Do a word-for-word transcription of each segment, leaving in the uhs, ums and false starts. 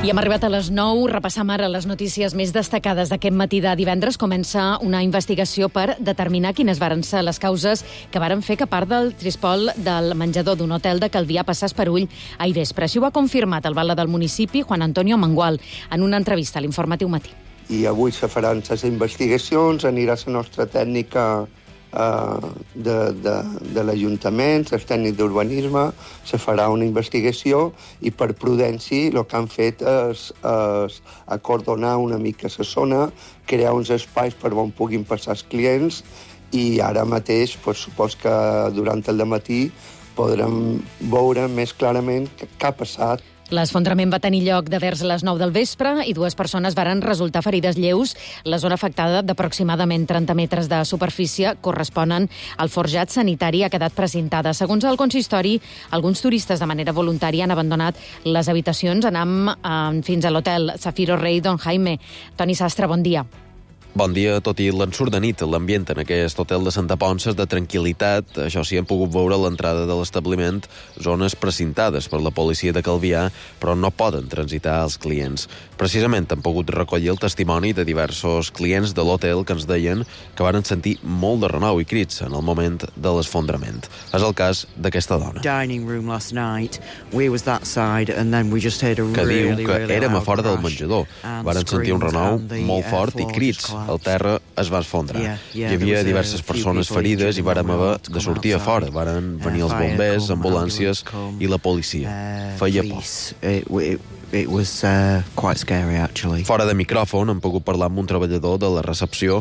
I hem arribat a les nou. Repassam ara les notícies més destacades d'aquest matí de divendres. Comença una investigació per determinar quines varen ser les causes que varen fer que part del trispol del menjador d'un hotel de Calvià passés per ull ahir vespre. Així ho ha confirmat el batlle del municipi, Juan Antonio Mangual, en una entrevista a l'Informatiu Matí. I avui se faran les investigacions, anirà la nostra tècnica uh, de, de, de l'Ajuntament, el tècnic d'urbanisme, se farà una investigació i per prudència el que han fet és, és acordonar una mica la zona, crear uns espais per on puguin passar els clients i ara mateix, pues, supos que durant el dematí podrem veure més clarament què ha passat. L'esfondrament va tenir lloc de vers les nou del vespre i dues persones varen resultar ferides lleus. La zona afectada, d'aproximadament trenta metres de superfície, corresponen al forjat sanitari, ha quedat precintada. Segons el consistori, alguns turistes de manera voluntària han abandonat les habitacions. Anem eh, fins a l'hotel Zafiro Rei Don Jaime. Toni Sastre, bon dia. Bon dia. Tot i l'ensurt de nit, l'ambient en aquest hotel de Santa Ponça és de tranquil·litat. Això sí, hem pogut veure a l'entrada de l'establiment zones precintades per la policia de Calvià, però no poden transitar els clients. Precisament hem pogut recollir el testimoni de diversos clients de l'hotel que ens deien que varen sentir molt de renou i crits en el moment de l'esfondrament. És el cas d'aquesta dona, que diu que érem a fora del menjador. Varen sentir un renou molt fort i crits. El terra es va esfondrar. Hi havia diverses persones ferides i vàrem haver de sortir a fora. Varen venir els bombers, ambulàncies i la policia. Feia por. It was uh, quite scary, actually. Fora de micròfon hem pogut parlar amb un treballador de la recepció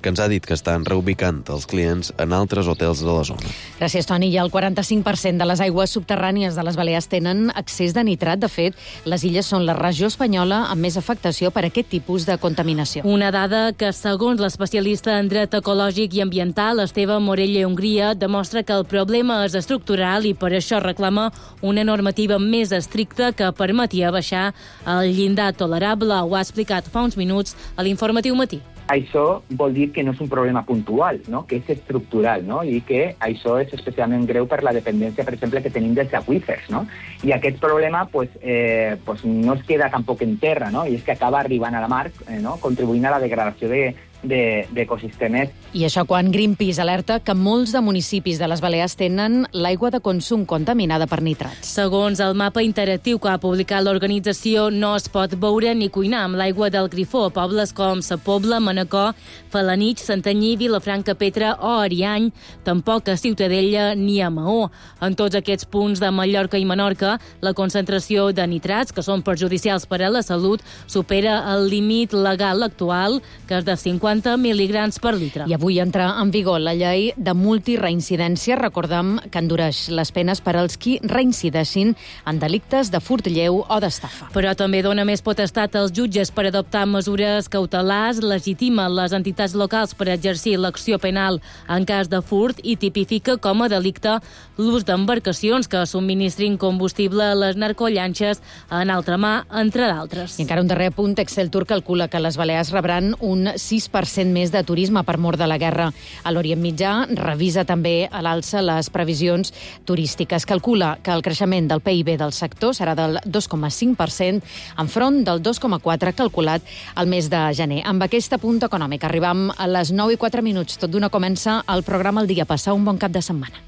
que ens ha dit que estan reubicant els clients en altres hotels de la zona. Gràcies, Toni. I el quaranta-cinc per cent de les aigües subterrànies de les Balears tenen excés de nitrat. De fet, les illes són la regió espanyola amb més afectació per aquest tipus de contaminació. Una dada que, segons l'especialista en dret ecològic i ambiental, Esteve Morelle Hongria, demostra que el problema és estructural i per això reclama una normativa més estricta que permetia baixar el llindar tolerable. Ho ha explicat fa uns minuts a l'Informatiu Matí. Això vol dir que no és un problema puntual, no? Que és estructural, no? I que això és especialment greu per la dependència, per exemple, que tenim dels aqüífers, no? I aquest problema pues, eh, pues no es queda tampoc en terra, no? I és que acaba arribant a la mar, eh, no? Contribuint a la degradació de d'ecosistemes. I això quan Greenpeace alerta que molts de municipis de les Balears tenen l'aigua de consum contaminada per nitrats. Segons el mapa interactiu que ha publicat l'organització, no es pot beure ni cuinar amb l'aigua del grifó a pobles com Sa Pobla, Manacor, Felanitx, Santanyí, Vilafranca, Petra o Ariany, tampoc a Ciutadella ni a Maó. En tots aquests punts de Mallorca i Menorca, la concentració de nitrats, que són perjudicials per a la salut, supera el límit legal actual, que és de cinquanta mil·ligrams per litre. I avui entra en vigor la llei de multireincidència. Recordem que endureix les penes per als qui reincideixin en delictes de furt lleu o d'estafa. Però també dona més potestat als jutges per adoptar mesures cautelars, legitima les entitats locals per exercir l'acció penal en cas de furt i tipifica com a delicte l'ús d'embarcacions que subministrin combustible a les narcollanxes en altra mà, entre d'altres. I encara un darrer punt, Exceltur calcula que les Balears rebran un sis per cent més de turisme per mor de la guerra. A l'Orient Mitjà revisa també a l'alça les previsions turístiques. Calcula que el creixement del P I B del sector serà del dos coma cinc per cent enfront del dos coma quatre per cent calculat al mes de gener. Amb aquest apunt econòmic arribam a les nou i quatre minuts. Tot d'una comença el programa El Dia. Passar un bon cap de setmana.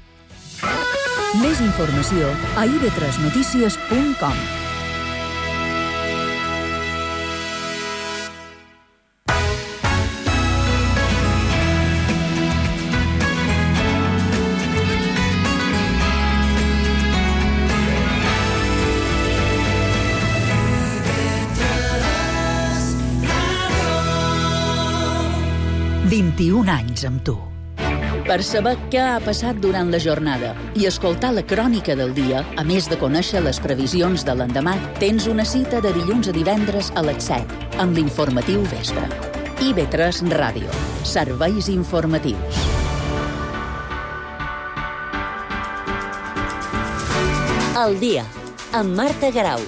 Més informació a i ve tres notícies punt com. vint-i-un anys amb tu. Per saber què ha passat durant la jornada i escoltar la crònica del dia, a més de conèixer les previsions de l'endemà, tens una cita de dilluns a divendres a les set, amb l'Informatiu Vespre. i ve tres Ràdio. Serveis informatius. El dia, amb Marta Garau.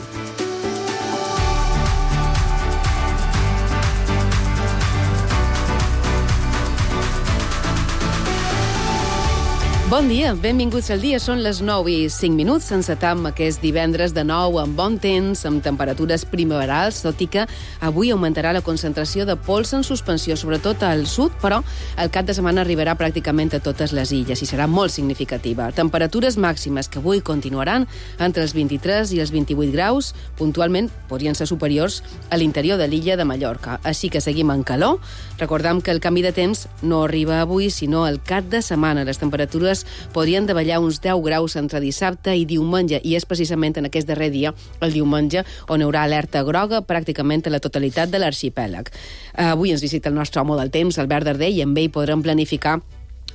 Bon dia, benvinguts al dia. Són les nou i cinc minuts. Encetam aquest divendres de nou amb bon temps, amb temperatures primaverals, tot i que avui augmentarà la concentració de pols en suspensió, sobretot al sud, però el cap de setmana arribarà pràcticament a totes les illes i serà molt significativa. Temperatures màximes que avui continuaran entre els vint-i-tres i els vint-i-vuit graus, puntualment podrien ser superiors a l'interior de l'illa de Mallorca. Així que seguim en calor. Recordem que el canvi de temps no arriba avui, sinó el cap de setmana. Les temperatures podrien davallar uns deu graus entre dissabte i diumenge, i és precisament en aquest darrer dia, el diumenge, on hi haurà alerta groga pràcticament a la totalitat de l'arxipèlag. Avui ens visita el nostre home del temps, Albert Darder, i amb ell podrem planificar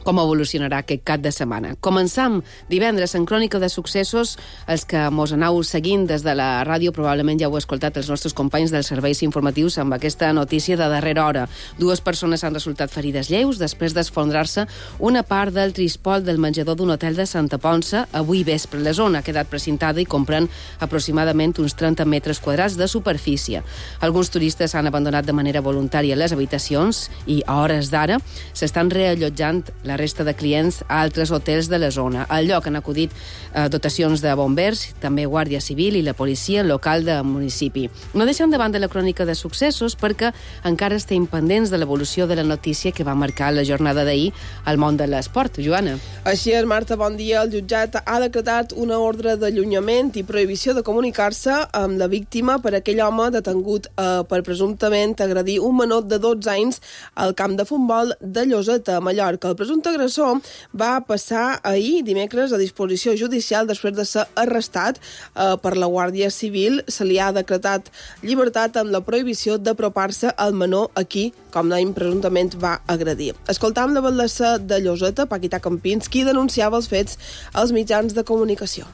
com evolucionarà aquest cap de setmana. Començam divendres en Crònica de Successos. Els que mos aneu seguint des de la ràdio probablement ja heu escoltat els nostres companys dels serveis informatius amb aquesta notícia de darrera hora. Dues persones han resultat ferides lleus després d'esfondrar-se una part del trispol del menjador d'un hotel de Santa Ponça avui vespre. La zona ha quedat precintada i comprèn aproximadament uns trenta metres quadrats de superfície. Alguns turistes han abandonat de manera voluntària les habitacions i a hores d'ara s'estan reallotjant la resta de clients a altres hotels de la zona. Al lloc han acudit eh, dotacions de bombers, també Guàrdia Civil i la policia local del municipi. No deixem de banda la crònica de successos perquè encara estem pendents de l'evolució de la notícia que va marcar la jornada d'ahir al món de l'esport. Joana. Així és, Marta, bon dia. El jutjat ha decretat una ordre d'allunyament i prohibició de comunicar-se amb la víctima per aquell home detengut eh, per presumptament agredir un menor de dotze anys al camp de futbol de Lloseta, a Mallorca. El presumpte agressor va passar ahir, dimecres, a disposició judicial després de ser arrestat eh, per la Guàrdia Civil. Se li ha decretat llibertat amb la prohibició d'apropar-se al menor a qui, com dèiem, presumptament va agredir. Escoltam la batllessa de Lloseta, Paquita Campins, qui denunciava els fets als mitjans de comunicació.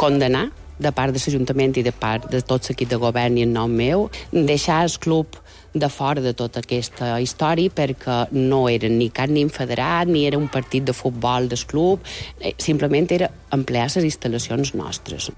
Condenar de part de l'Ajuntament i de part de tot l'equip de govern i en nom meu, deixar el club de fora de tota aquesta història perquè no era ni cap nin federat, ni era un partit de futbol del club, simplement era emplear les instal·lacions nostres.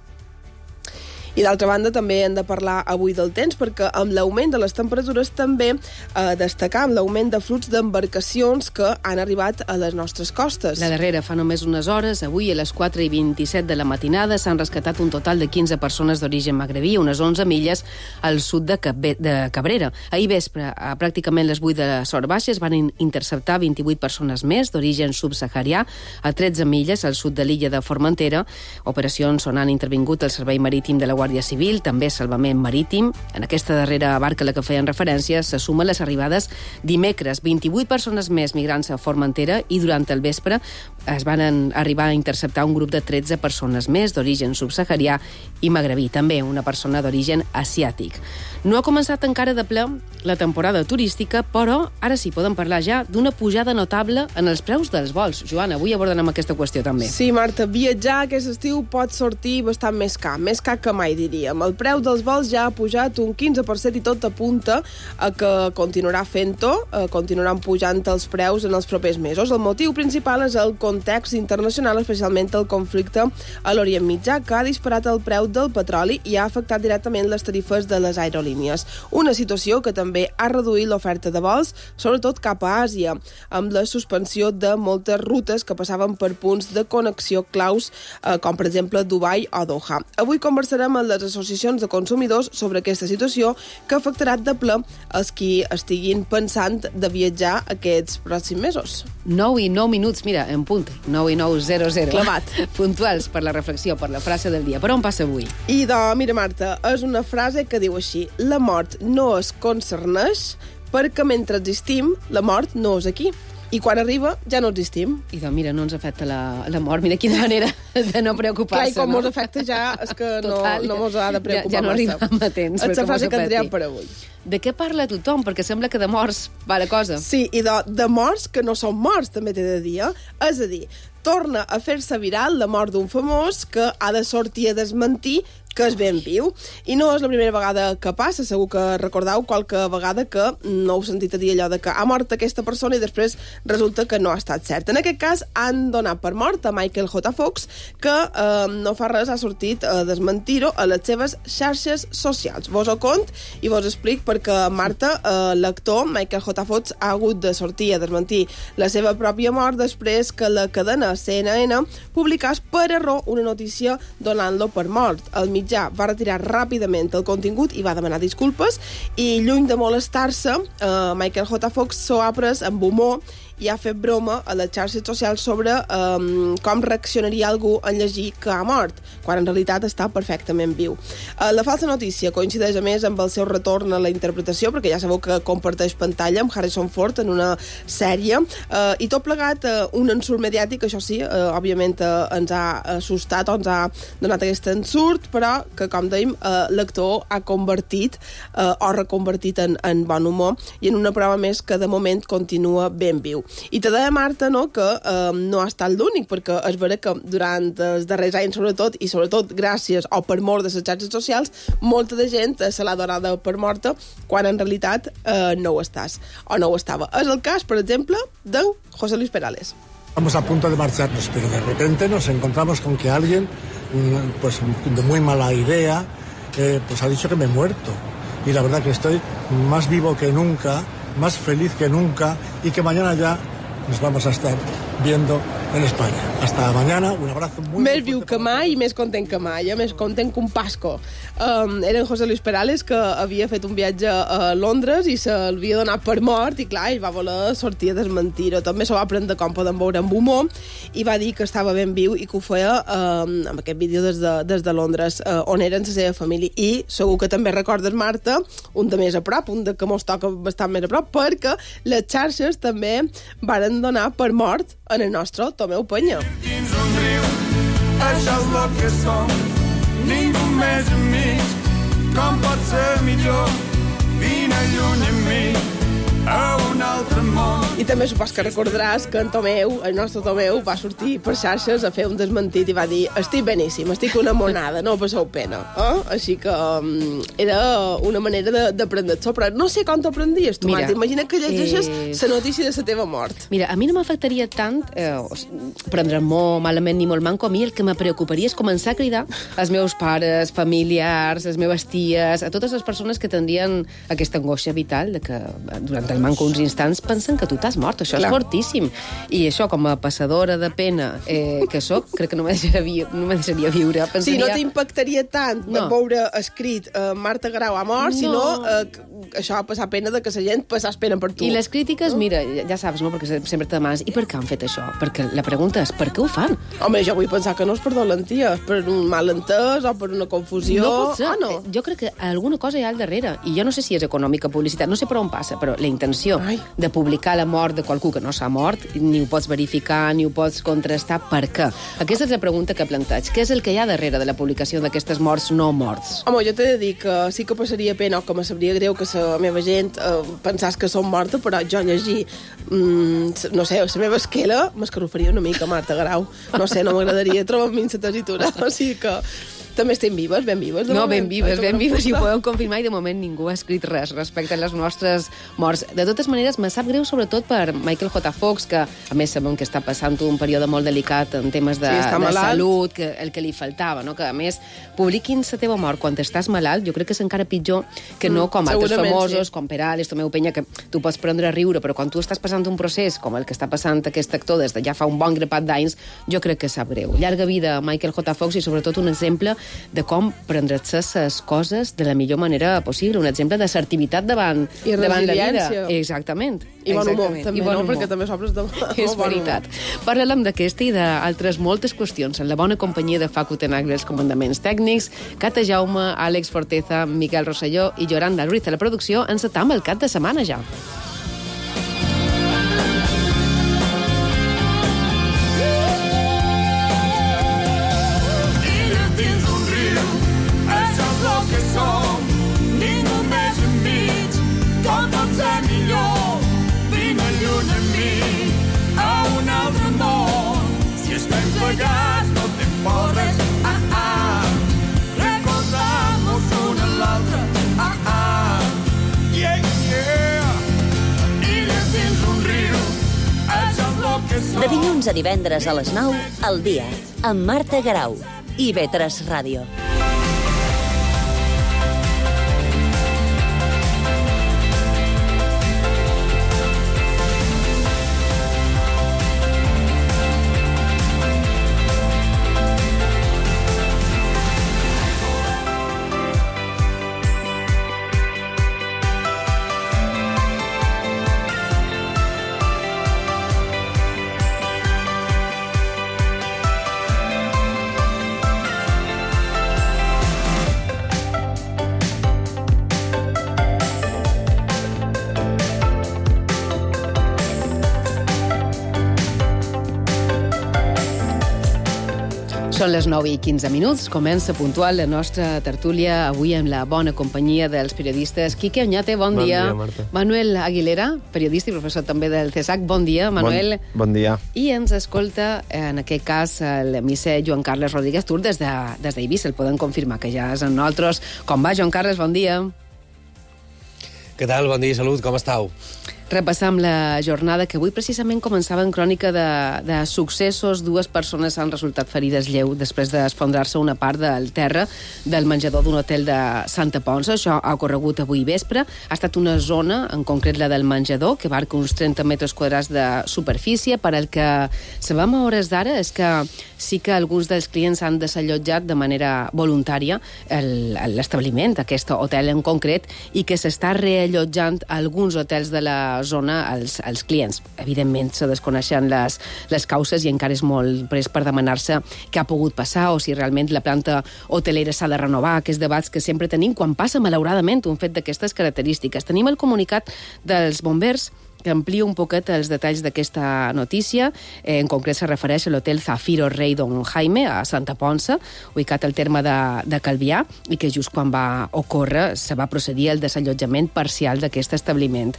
I d'altra banda també hem de parlar avui del temps perquè amb l'augment de les temperatures també eh, destacar amb l'augment de flux d'embarcacions que han arribat a les nostres costes. La darrera fa només unes hores, avui a les quatre i vint-i-set de la matinada s'han rescatat un total de quinze persones d'origen magrebí, unes onze milles al sud de, Cap de Cabrera. Ahir vespre, a pràcticament les vuit de les hores baixes, van interceptar vint-i-vuit persones més d'origen subsaharià a tretze milles al sud de l'illa de Formentera. Operacions on han intervingut el Servei Marítim de la Guàrdia Civil, també Salvament Marítim. En aquesta darrera barca a la que feien referència se sumen les arribades dimecres. vint-i-vuit persones més migrants a Formentera i durant el vespre es van arribar a interceptar un grup de tretze persones més d'origen subsaharià i magrebí, també una persona d'origen asiàtic. No ha començat encara de ple la temporada turística, però ara sí podem parlar ja d'una pujada notable en els preus dels vols. Joana, avui abordarem aquesta qüestió també. Sí, Marta, viatjar aquest estiu pot sortir bastant més car, més car que mai, diríem. El preu dels vols ja ha pujat un quinze per cent i tot apunta a que continuarà fent-ho, eh, continuaran pujant els preus en els propers mesos. El motiu principal és el context internacional, especialment el conflicte a l'Orient Mitjà, que ha disparat el preu del petroli i ha afectat directament les tarifes de les aerolínies. Una situació que també ha reduït l'oferta de vols, sobretot cap a Àsia, amb la suspensió de moltes rutes que passaven per punts de connexió claus, eh, com per exemple Dubai o Doha. Avui conversarem amb les associacions de consumidors sobre aquesta situació que afectarà de ple els qui estiguin pensant de viatjar aquests pròxims mesos. nou i nou minuts, mira, en punt, nou i nou, zero, zero. Clavat. Puntuals per la reflexió, per la frase del dia. Per on passa avui? I doncs, mira, Marta, és una frase que diu així: la mort no es concerneix perquè mentre existim, la mort no és aquí. I quan arriba, ja no existim. I doncs, mira, no ens afecta la, la mort. Mira quina manera de no preocupar-se. Clar, i com no? mos afecta ja, és que no, Total, no mos ha de preocupar ja, ja no massa. arribem a temps. És la frase que tindríem per avui. De què parla tothom? Perquè sembla que de morts va la cosa. Sí, i de, de morts que no són morts, també t'he de dir. Eh? És a dir, torna a fer-se viral la mort d'un famós que ha de sortir a desmentir que és ben viu. I no és la primera vegada que passa, segur que recordeu qualque vegada que no heu sentit a dir allò de que ha mort aquesta persona i després resulta que no ha estat cert. En aquest cas han donat per mort a Michael J. Fox, que eh, no fa res ha sortit a desmentir-ho a les seves xarxes socials. Vos ho cont i vos explic perquè Marta, eh, l'actor Michael J. Fox, ha hagut de sortir a desmentir la seva pròpia mort després que la cadena C N N publicés per error una notícia donant-lo per mort. El mitjà va retirar ràpidament el contingut i va demanar disculpes i, lluny de molestar-se, eh, Michael J. Fox s'ho ha pres amb humor i ha fet broma a les xarxes socials sobre um, com reaccionaria algú en llegir que ha mort, quan en realitat està perfectament viu. Uh, la falsa notícia coincideix a més amb el seu retorn a la interpretació, perquè ja sabeu que comparteix pantalla amb Harrison Ford en una sèrie, uh, i tot plegat uh, un ensurt mediàtic, això sí, uh, òbviament uh, ens ha assustat o ens ha donat aquest ensurt, però que, com dèiem, uh, l'actor ha convertit uh, o reconvertit en, en bon humor i en una prova més que de moment continua ben viu. I te deia, Marta, no, que eh, no ha estat l'únic, perquè és vera que durant els darrers anys, sobretot, i sobretot gràcies o per mort de les xarxes socials, molta de gent se l'ha donada per morta, quan en realitat eh, no ho estàs, o no ho estava. És el cas, per exemple, de José Luis Perales. Estamos a punto de marcharnos, pero de repente nos encontramos con que alguien, pues de muy mala idea, eh, pues ha dicho que me he muerto. Y la verdad que estoy más vivo que nunca, más feliz que nunca y que mañana ya nos vamos a estar viendo en España. Hasta mañana, un abrazo muy... Més viu que mai i més content que mai, eh? Més content que un pasco. Um, era en José Luis Perales, que havia fet un viatge a Londres i s'havia donat per mort i, clar, ell va voler sortir a desmentir-ho. També s'ho va prendre com poden veure amb humor i va dir que estava ben viu i que ho feia um, amb aquest vídeo des de, des de Londres, uh, on eren la seva família. I segur que també recordes, Marta, un de més a prop, un de que mos toca bastant més a prop, perquè les xarxes també varen donar per mort en el nostre Tomeu Penya. Dins un riu, això és el que som, ningú més enmig, com pot ser millor, vine lluny amb mi, a un altre món. I també supos que recordaràs que en Tomeu, el nostre Tomeu, va sortir per xarxes a fer un desmentit i va dir: estic beníssim, estic una monada, no passeu pena. Eh? Així que um, era una manera d'aprendre-s'ho, però no sé com t'aprendies tu, Marta. Imagina que llegeixes la eh... notícia de la teva mort. Mira, a mi no m'afectaria tant eh, prendre molt malament ni molt manco. A mi el que me preocuparia és començar a cridar als meus pares, familiars, les meves ties, a totes les persones que tindrien aquesta angoixa vital de que durant el manco uns instants pensen que tu t'has mort. Això Clar. És fortíssim. I això, com a passadora de pena eh, que soc, crec que no me deixaria, vi no me deixaria viure. Pensaria... Sí, no t'impactaria tant no. veure escrit eh, Marta Garau ha mort, no. sinó eh, això va passar pena de que la gent passés pena per tu. I les crítiques, no? Mira, ja saps, no? Perquè sempre te demanes, i per què han fet això? Perquè la pregunta és, per què ho fan? Home, jo vull pensar que no és per dolentia, per un malentès o per una confusió. No pot ser. Ah, no? Jo crec que alguna cosa hi ha al darrere. I jo no sé si és econòmica, publicitat, no sé per on passa, però la intenció Ai. de publicar la mort de qualcú que no s'ha mort, ni ho pots verificar, ni ho pots contrastar, per què? Aquesta és la pregunta que planteig. Què és el que hi ha darrere de la publicació d'aquestes morts no morts? Home, jo t'he de dir que sí que passaria pena o que me sabria greu que la meva gent eh, pensàs que som morta, però jo llegir mm, no sé, la meva esquela m'escarofaria una mica, Marta Garau. No sé, no m'agradaria trobar-me en la tessitura, o sigui que també estem vives, ben vives. No, ben vives, ben vives, i ho podem confirmar, i de moment ningú ha escrit res respecte a les nostres morts. De totes maneres, me sap greu sobretot per Michael J. Fox, que a més sabem que està passant un període molt delicat en temes de, sí, de salut, que el que li faltava, no? Que a més publiquin la teva mort quan estàs malalt, jo crec que és encara pitjor que no com mm, altres famosos, sí. com Perales, Tomeu Penya, que tu pots prendre a riure, però quan tu estàs passant un procés com el que està passant aquest actor des de ja fa un bon grapat d'anys, jo crec que sap greu. Llarga vida a Michael J. Fox i sobretot un exemple de com prendre-se les coses de la millor manera possible, un exemple d'assertivitat davant, davant la vida. Exactament. I bon humor, Exactament. també, I bon no? humor. Perquè també s'obres de... És veritat. Parlem d'aquesta i d'altres moltes qüestions en la bona companyia de Facu Tenagre, els comandaments tècnics, Cata Jaume, Àlex Forteza, Miquel Rosselló i Yoranda Ruiz a la producció. Encetam el cap de setmana ja. Plegats no t'importes, ah, ah, recorda De dilluns a divendres a les nou, al dia, amb Marta Garau i I V tres Ràdio. Són les nou i quinze minuts, comença puntual la nostra tertúlia, avui amb la bona companyia dels periodistes. Quique Oñate, bon, bon dia. Bon dia, Marta. Manuel Aguilera, periodista i professor també del CESAC, bon dia, Manuel. Bon, bon dia. I ens escolta, en aquest cas, el misser Joan Carles Rodríguez Tur des de, des d'Eivissa, el podem confirmar, que ja és amb nosaltres. Com va, Joan Carles? Bon dia. Què tal? Bon dia i salut, com estàu? Repassam la jornada que avui precisament començava en crònica de, de successos. Dues persones han resultat ferides lleu després d'esfondrar-se una part del terra del menjador d'un hotel de Santa Ponça. Això ha ocorregut avui vespre. Ha estat una zona, en concret la del menjador, que abarca uns trenta metres quadrats de superfície. Per el que sabem a hores d'ara és que sí que alguns dels clients han desallotjat de manera voluntària l'establiment, aquest hotel en concret, i que s'està reallotjant alguns hotels de la zona als, als clients. Evidentment, se desconeixen les, les causes i encara és molt pres per demanar-se què ha pogut passar o si realment la planta hotelera s'ha de renovar, aquests debats que sempre tenim quan passa, malauradament, un fet d'aquestes característiques. Tenim el comunicat dels bombers que amplia un poquet els detalls d'aquesta notícia. Eh, en concret se refereix a l'hotel Zafiro Rei Don Jaime, a Santa Ponça, ubicat al terme de, de Calvià, i que just quan va ocórrer se va procedir al desallotjament parcial d'aquest establiment.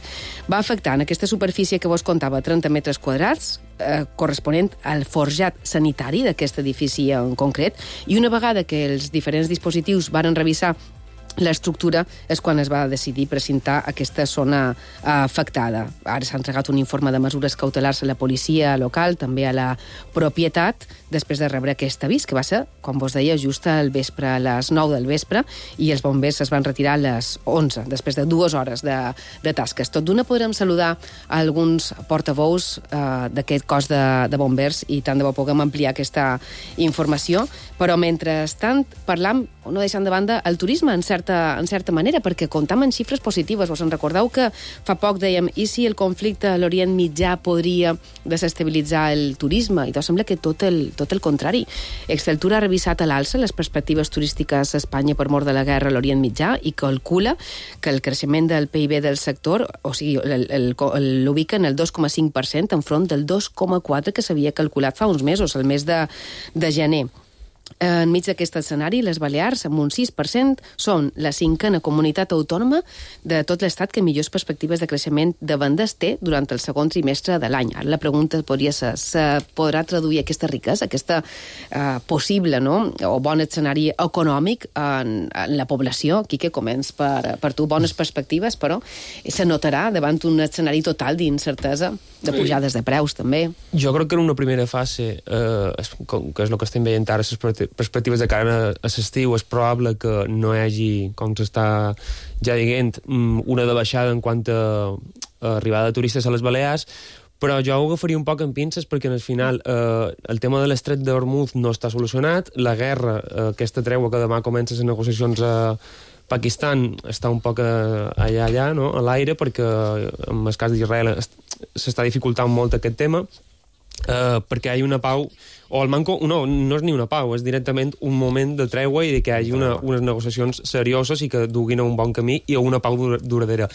Va afectar en aquesta superfície que vos contava trenta metres quadrats, eh, corresponent al forjat sanitari d'aquest edifici en concret, i una vegada que els diferents dispositius varen revisar l'estructura és quan es va decidir precintar aquesta zona afectada. Ara s'ha entregat un informe de mesures cautelars a la policia local, també a la propietat, després de rebre aquest avís, que va ser, com vos deia, just al vespre, a les nou del vespre, i els bombers es van retirar a les onze, després de dues hores de, de tasques. Tot d'una podrem saludar a alguns portaveus eh, d'aquest cos de, de bombers i tant de bo puguem ampliar aquesta informació, però mentrestant parlam, no deixant de banda, el turisme en cert en certa manera, perquè comptam en xifres positives. Vos en recordeu que fa poc dèiem i si el conflicte a l'Orient Mitjà podria desestabilitzar el turisme? I doncs sembla que tot el, tot el contrari. Exceltur ha revisat a l'alça les perspectives turístiques a Espanya per mort de la guerra a l'Orient Mitjà i calcula que el creixement del P I B del sector, o sigui, l'ubica en el dos coma cinc per cent enfront del dos coma quatre que s'havia calculat fa uns mesos, el mes de, de gener. Enmig d'aquest escenari, les Balears, amb un sis per cent, són la cinquena comunitat autònoma de tot l'Estat que millors perspectives de creixement de vendes té durant el segon trimestre de l'any. Ara la pregunta podria ser, se podrà traduir aquesta riquesa, aquesta eh, possible, no?, o bon escenari econòmic en, en la població? Quique, començ per, per tu. Bones perspectives, però se notarà davant un escenari total d'incertesa, de pujades de preus, també. Jo crec que en una primera fase, eh, que és el que estem veient ara, les perspectives de cara a l'estiu, és probable que no hi hagi, com s'està ja dient, una de baixada en quant a arribada de turistes a les Balears, però jo ho agafaria un poc en pinces perquè al final eh, el tema de l'estret d'Hormuz no està solucionat, la guerra, eh, aquesta treua que demà comença les negociacions a Pakistan està un poc allà, allà, no?, a l'aire, perquè en el cas d'Israel s'està dificultant molt aquest tema, eh, perquè hi ha una pau, o el manco, no, no és ni una pau, és directament un moment de treua i que hi hagi una, unes negociacions serioses i que duguin a un bon camí i a una pau duradera.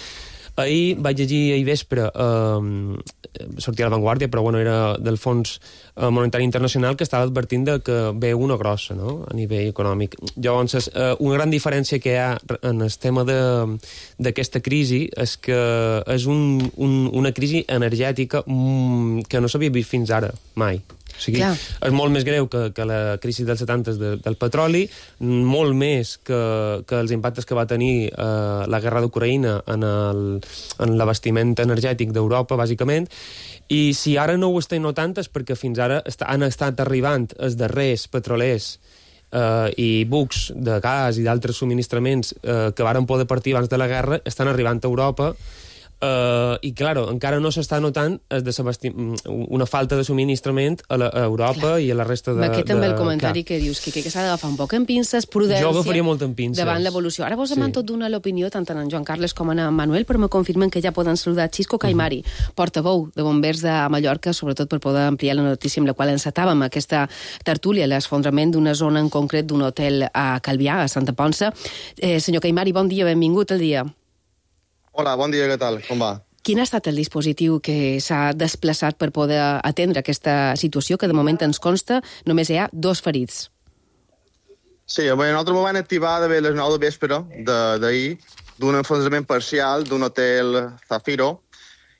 Ahir vaig llegir ahir vespre, eh, sortia a La Vanguardia, però bueno, era del Fons Monetari Internacional, que estava advertint de que ve una grossa, no?, a nivell econòmic. Llavors, eh, una gran diferència que hi ha en el tema d'aquesta crisi és que és un, un, una crisi energètica que no s'havia vist fins ara, mai. O sigui, Clar. és molt més greu que, que la crisi dels setanta de, del petroli, molt més que, que els impactes que va tenir eh, la guerra d'Ucraïna en, el, en l'abastiment energètic d'Europa, bàsicament. I si ara no ho estem notant és perquè fins ara est han estat arribant els darrers petrolers eh, i bucs de gas i d'altres subministraments eh, que varen poder partir abans de la guerra, estan arribant a Europa. Uh, i, claro, encara no s'està notant una falta de subministrament a, la, a Europa Clar. i a la resta de... Aquest també de... el comentari Clar. que dius, que, que s'ha d'agafar un poc en pinces, prudència... Jo agafaria molt en pinces. Davant l'evolució. Ara vos sí. m'han tot donat l'opinió, tant en Joan Carles com en Manuel, però me confirmen que ja poden saludar Xisco Caimari, uh -huh. portaveu de Bombers de Mallorca, sobretot per poder ampliar la notícia amb la qual encetàvem aquesta tertúlia, l'esfondrament d'una zona en concret d'un hotel a Calvià, a Santa Ponça. Eh, senyor Caimari, bon dia, benvingut al dia. Hola, bon dia, què tal? Com va? Quin ha estat el dispositiu que s'ha desplaçat per poder atendre aquesta situació, que de moment ens consta només hi ha dos ferits? Sí, bé, nosaltres m'ho van activar de les nou de vespre d'ahir d'un enfonsament parcial d'un hotel Zafiro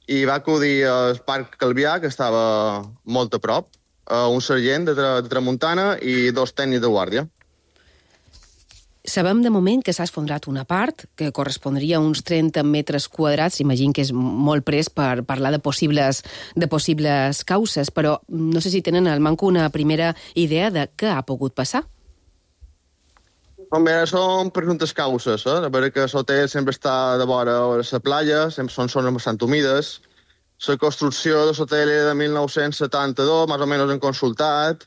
i va acudir al Parc Calvià, que estava molt a prop, un sergent de, tra de Tramuntana i dos tècnics de guàrdia. Sabem de moment que s'ha esfondrat una part, que correspondria a uns trenta metres quadrats. Imagino que és molt pres per parlar de possibles, de possibles causes, però no sé si tenen al manco una primera idea de què ha pogut passar. Bé, són presumptes causes. Eh? A veure que l'hotel sempre està de vora la platja, sempre són zones bastant humides. La construcció de l'hotel era de mil nou-cents setanta-dos, més o menys hem consultat,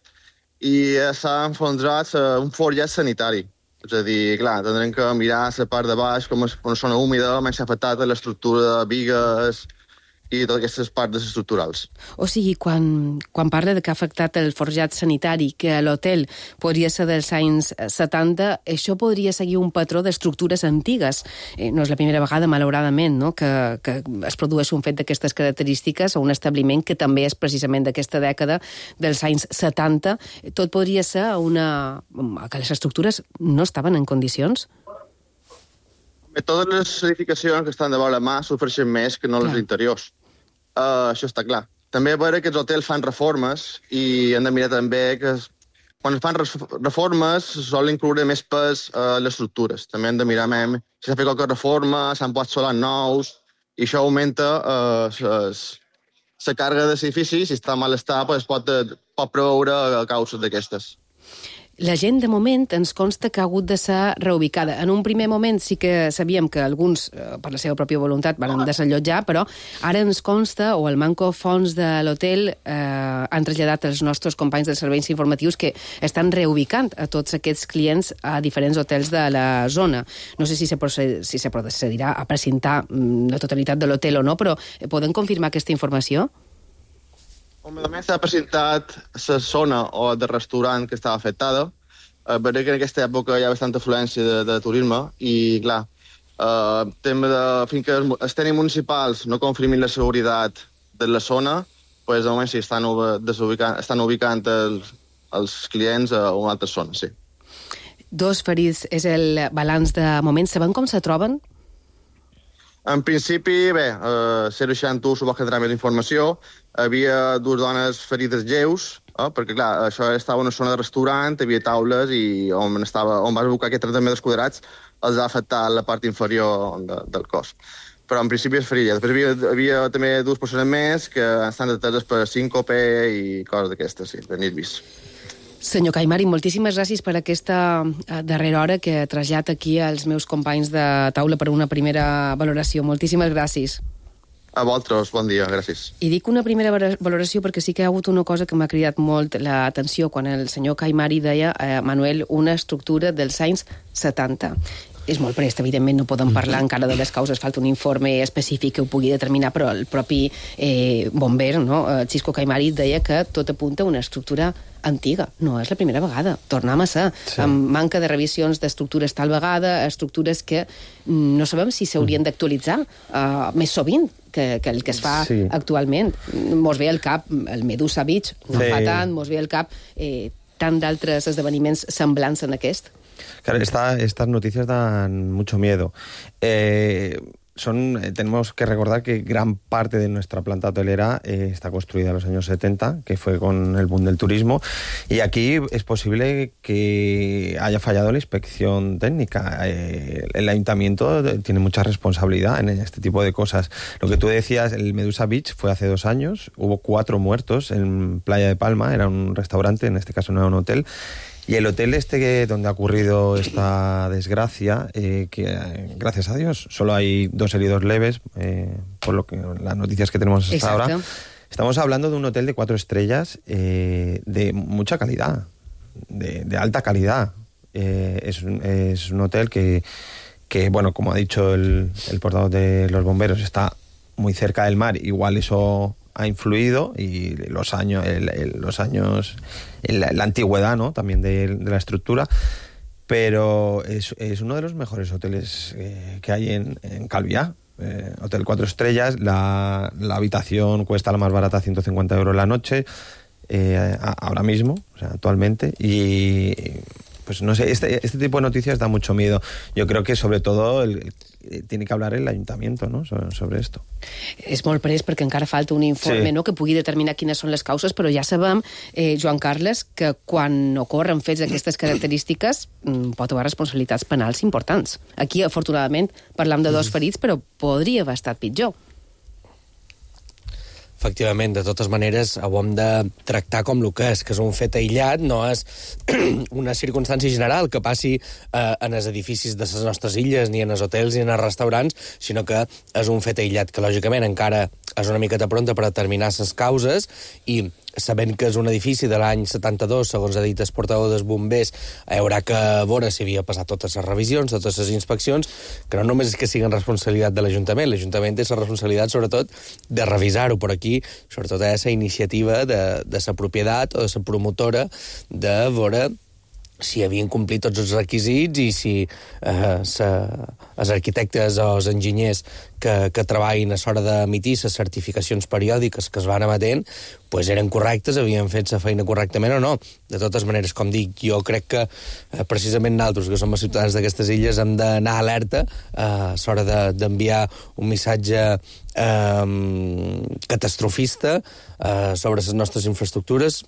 i s'ha enfonsat un forjat sanitari. És a dir, clar, tindrem que mirar la part de baix, com és una zona húmida, menys s'ha afectat l'estructura de bigues i totes aquestes parts estructurals. O sigui, quan, quan parla de que ha afectat el forjat sanitari, que l'hotel podria ser dels anys setanta, això podria seguir un patró d'estructures antigues. Eh, no és la primera vegada, malauradament, no? que, que es produeix un fet d'aquestes característiques a un establiment que també és precisament d'aquesta dècada dels anys setanta. Tot podria ser una... que les estructures no estaven en condicions? Totes les edificacions que estan de vora mà sofreixen més que no les interiors. Uh, això està clar. També a veure que els hotels fan reformes i hem de mirar també que quan fan reformes solen incloure més pes a les estructures. També hem de mirar més si s'ha fet qualque reforma, s'han posat solars nous i això augmenta uh, la càrrega dels edificis. Si està en mal estat, pues, pot, pot preveure causes d'aquestes. La gent, de moment, ens consta que ha hagut de ser reubicada. En un primer moment sí que sabíem que alguns, per la seva pròpia voluntat, van desallotjar, però ara ens consta, o el manco fons de l'hotel eh, han traslladat els nostres companys dels serveis informatius que estan reubicant a tots aquests clients a diferents hotels de la zona. No sé si se, proced si se procedirà a precintar la totalitat de l'hotel o no, però poden confirmar aquesta informació? Només s'ha presentat la zona o de restaurant que estava afectada. Eh, veuré que en aquesta època hi ha bastanta afluència de, de turisme i, clar, eh, tema de, fins que els tècnics municipals no confirmin la seguretat de la zona, pues, de moment sí, estan, desubicant, estan ubicant els, els clients a una altra zona, sí. Dos ferits és el balanç de moment. Sabem com se troben? En principi, bé, eh, zero seixanta u suposo que tindrà més informació. Havia dues dones ferides lleus, eh, perquè, clar, això estava en una zona de restaurant, hi havia taules i on, estava, on vas buscar aquests trenta metres quadrats els ha afectat la part inferior de, del cos. Però en principi és ferida. Després havia, havia també dues persones més que estan ateses per síncope i coses d'aquestes, sí, de nervis. Senyor Caimari, moltíssimes gràcies per aquesta darrera hora que trasllat aquí als meus companys de taula per una primera valoració. Moltíssimes gràcies. A vosaltres, bon dia, gràcies. I dic una primera valoració perquè sí que hi ha hagut una cosa que m'ha cridat molt l'atenció quan el senyor Caimari deia, eh, Manuel, una estructura dels anys setanta. És molt prest, evidentment, no podem parlar encara de les causes, falta un informe específic que ho pugui determinar, però el propi eh, bomber, no? Xisco Caimari, deia que tot apunta a una estructura antiga. No és la primera vegada, tornem a ser. Sí. Amb manca de revisions d'estructures tal vegada, estructures que no sabem si s'haurien d'actualitzar uh, més sovint que, que el que es fa sí. actualment. Mos ve al cap el Medusa Beach, no sí. fa tant, mos ve al cap eh, tant d'altres esdeveniments semblants en aquest. Claro, esta, estas noticias dan mucho miedo. Eh, son, eh, tenemos que recordar que gran parte de nuestra planta hotelera eh, está construida en los años setenta, que fue con el boom del turismo, y aquí es posible que haya fallado la inspección técnica. Eh, el ayuntamiento tiene mucha responsabilidad en este tipo de cosas. Lo que tú decías, el Medusa Beach fue hace dos años, hubo cuatro muertos en Playa de Palma, era un restaurante, en este caso no era un hotel. Y el hotel este que, donde ha ocurrido esta desgracia, eh, que eh, gracias a Dios solo hay dos heridos leves, eh, por lo que las noticias que tenemos hasta Exacto. ahora. Estamos hablando de un hotel de cuatro estrellas eh, de mucha calidad, de, de alta calidad. Eh, es, un, es un hotel que, que, bueno, como ha dicho el, el portavoz de los bomberos, está muy cerca del mar, igual eso ha influido, y los años, el, el, los años, el, la antigüedad, ¿no?, también de, de la estructura, pero es, es uno de los mejores hoteles eh, que hay en, en Calviá. Eh, hotel cuatro estrellas, la, la habitación cuesta la más barata ciento cincuenta euros la noche, eh, a, ahora mismo, o sea, actualmente, y pues no sé, este, este tipo de noticias da mucho miedo. Yo creo que sobre todo el, el, tiene que hablar el ayuntamiento, no?, sobre, sobre esto. És molt pres perquè encara falta un informe, Sí. no?, que pugui determinar quines són les causes, però ja sabem, eh, Joan Carles, que quan ocorren fets d'aquestes característiques mm, pot haver responsabilitats penals importants. Aquí, afortunadament, parlam de dos ferits, però podria haver estat pitjor. Efectivament, de totes maneres, ho hem de tractar com el que és, que és un fet aïllat, no és una circumstància general que passi eh, en els edificis de les nostres illes, ni en els hotels, ni en els restaurants, sinó que és un fet aïllat que, lògicament, encara és una miqueta pronta per determinar les causes, i sabent que és un edifici de l'any setanta-dos, segons ha dit el portaveu dels bombers, haurà que veure si havia passat totes les revisions, totes les inspeccions, que no només és que siguin responsabilitat de l'Ajuntament, l'Ajuntament té la responsabilitat, sobretot, de revisar-ho. Per aquí, sobretot, hi ha la iniciativa de, de la propietat o de la promotora de veure si havien complit tots els requisits i si eh, sa, els arquitectes o els enginyers que, que treballin a l'hora d'emitir les certificacions periòdiques que es van emetent pues eren correctes, havien fet la feina correctament o no. De totes maneres, com dic, jo crec que eh, precisament nosaltres, que som els ciutadans d'aquestes illes, hem d'anar alerta eh, a l'hora de, d'enviar un missatge eh, catastrofista eh, sobre les nostres infraestructures.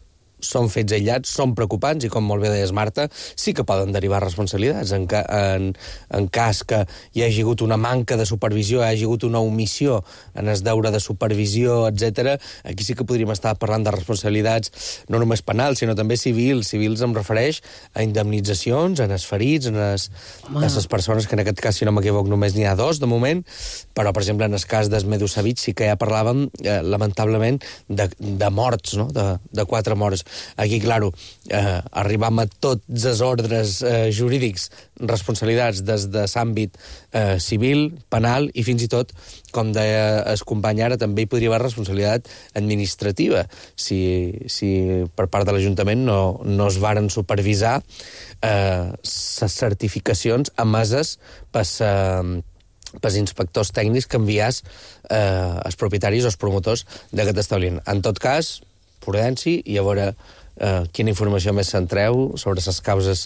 Són fets aïllats, són preocupants, i com molt bé deies, Marta, sí que poden derivar responsabilitats en, ca en, en cas que hi hagi hagut una manca de supervisió, hi hagi hagut una omissió en el deure de supervisió, etcètera. Aquí sí que podríem estar parlant de responsabilitats no només penals, sinó també civils. Civils em refereix a indemnitzacions, en els ferits, en les, les persones, que en aquest cas, si no m'equivoc, només n'hi ha dos de moment, però, per exemple, en el cas del Medusa Beach sí que ja parlàvem, eh, lamentablement, de, de morts, no?, de, de quatre morts. Aquí, claro, eh, arribam a tots els ordres eh, jurídics, responsabilitats des de l'àmbit eh, civil, penal, i fins i tot, com deia el company ara, també hi podria haver responsabilitat administrativa, si, si per part de l'Ajuntament no, no es varen supervisar eh, les certificacions emeses per eh, pels inspectors tècnics que enviàs eh, els propietaris o els promotors d'aquest establiment. En tot cas, prudència, i a veure eh, quina informació més centreu sobre les causes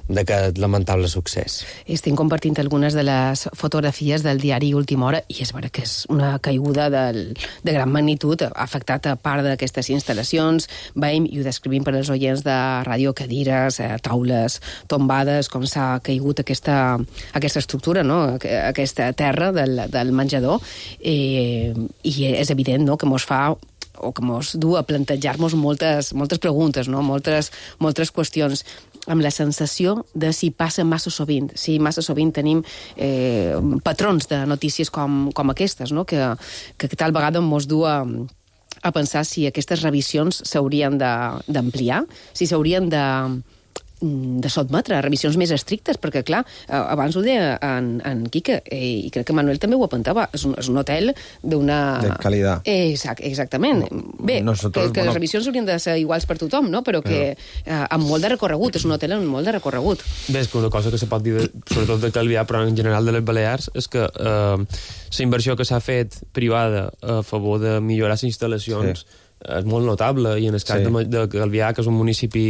d'aquest lamentable succés. Estem compartint algunes de les fotografies del diari Última Hora, i és vera que és una caiguda del, de gran magnitud, ha afectat a part d'aquestes instal·lacions. Veiem, i ho descrivim per als oients de ràdio, cadires, eh, taules tombades, com s'ha caigut aquesta, aquesta estructura, no?, aquesta terra del, del menjador, eh, i és evident, no?, que mos fa o que mos du a plantejar-nos moltes, moltes preguntes, no?, moltes, moltes qüestions, amb la sensació de si passa massa sovint, si massa sovint tenim eh, patrons de notícies com, com aquestes, no?, que, que tal vegada mos du a, a pensar si aquestes revisions s'haurien d'ampliar, si s'haurien de de sotmetre a revisions més estrictes, perquè, clar, abans ho deia en, en Quique, i crec que Manuel també ho apuntava, és un, és un hotel d'una... De qualitat. Exact, exactament. Bé, Nosotros, que, que bueno... les revisions haurien de ser iguals per tothom, no?, però que eh, amb molt de recorregut, és un hotel amb molt de recorregut. Bé, és que una cosa que se pot dir, de, sobretot de Calvià, però en general de les Balears, és que eh, la inversió que s'ha fet privada a favor de millorar les instal·lacions sí. és molt notable, i en el cas sí. de, de Calvià, que és un municipi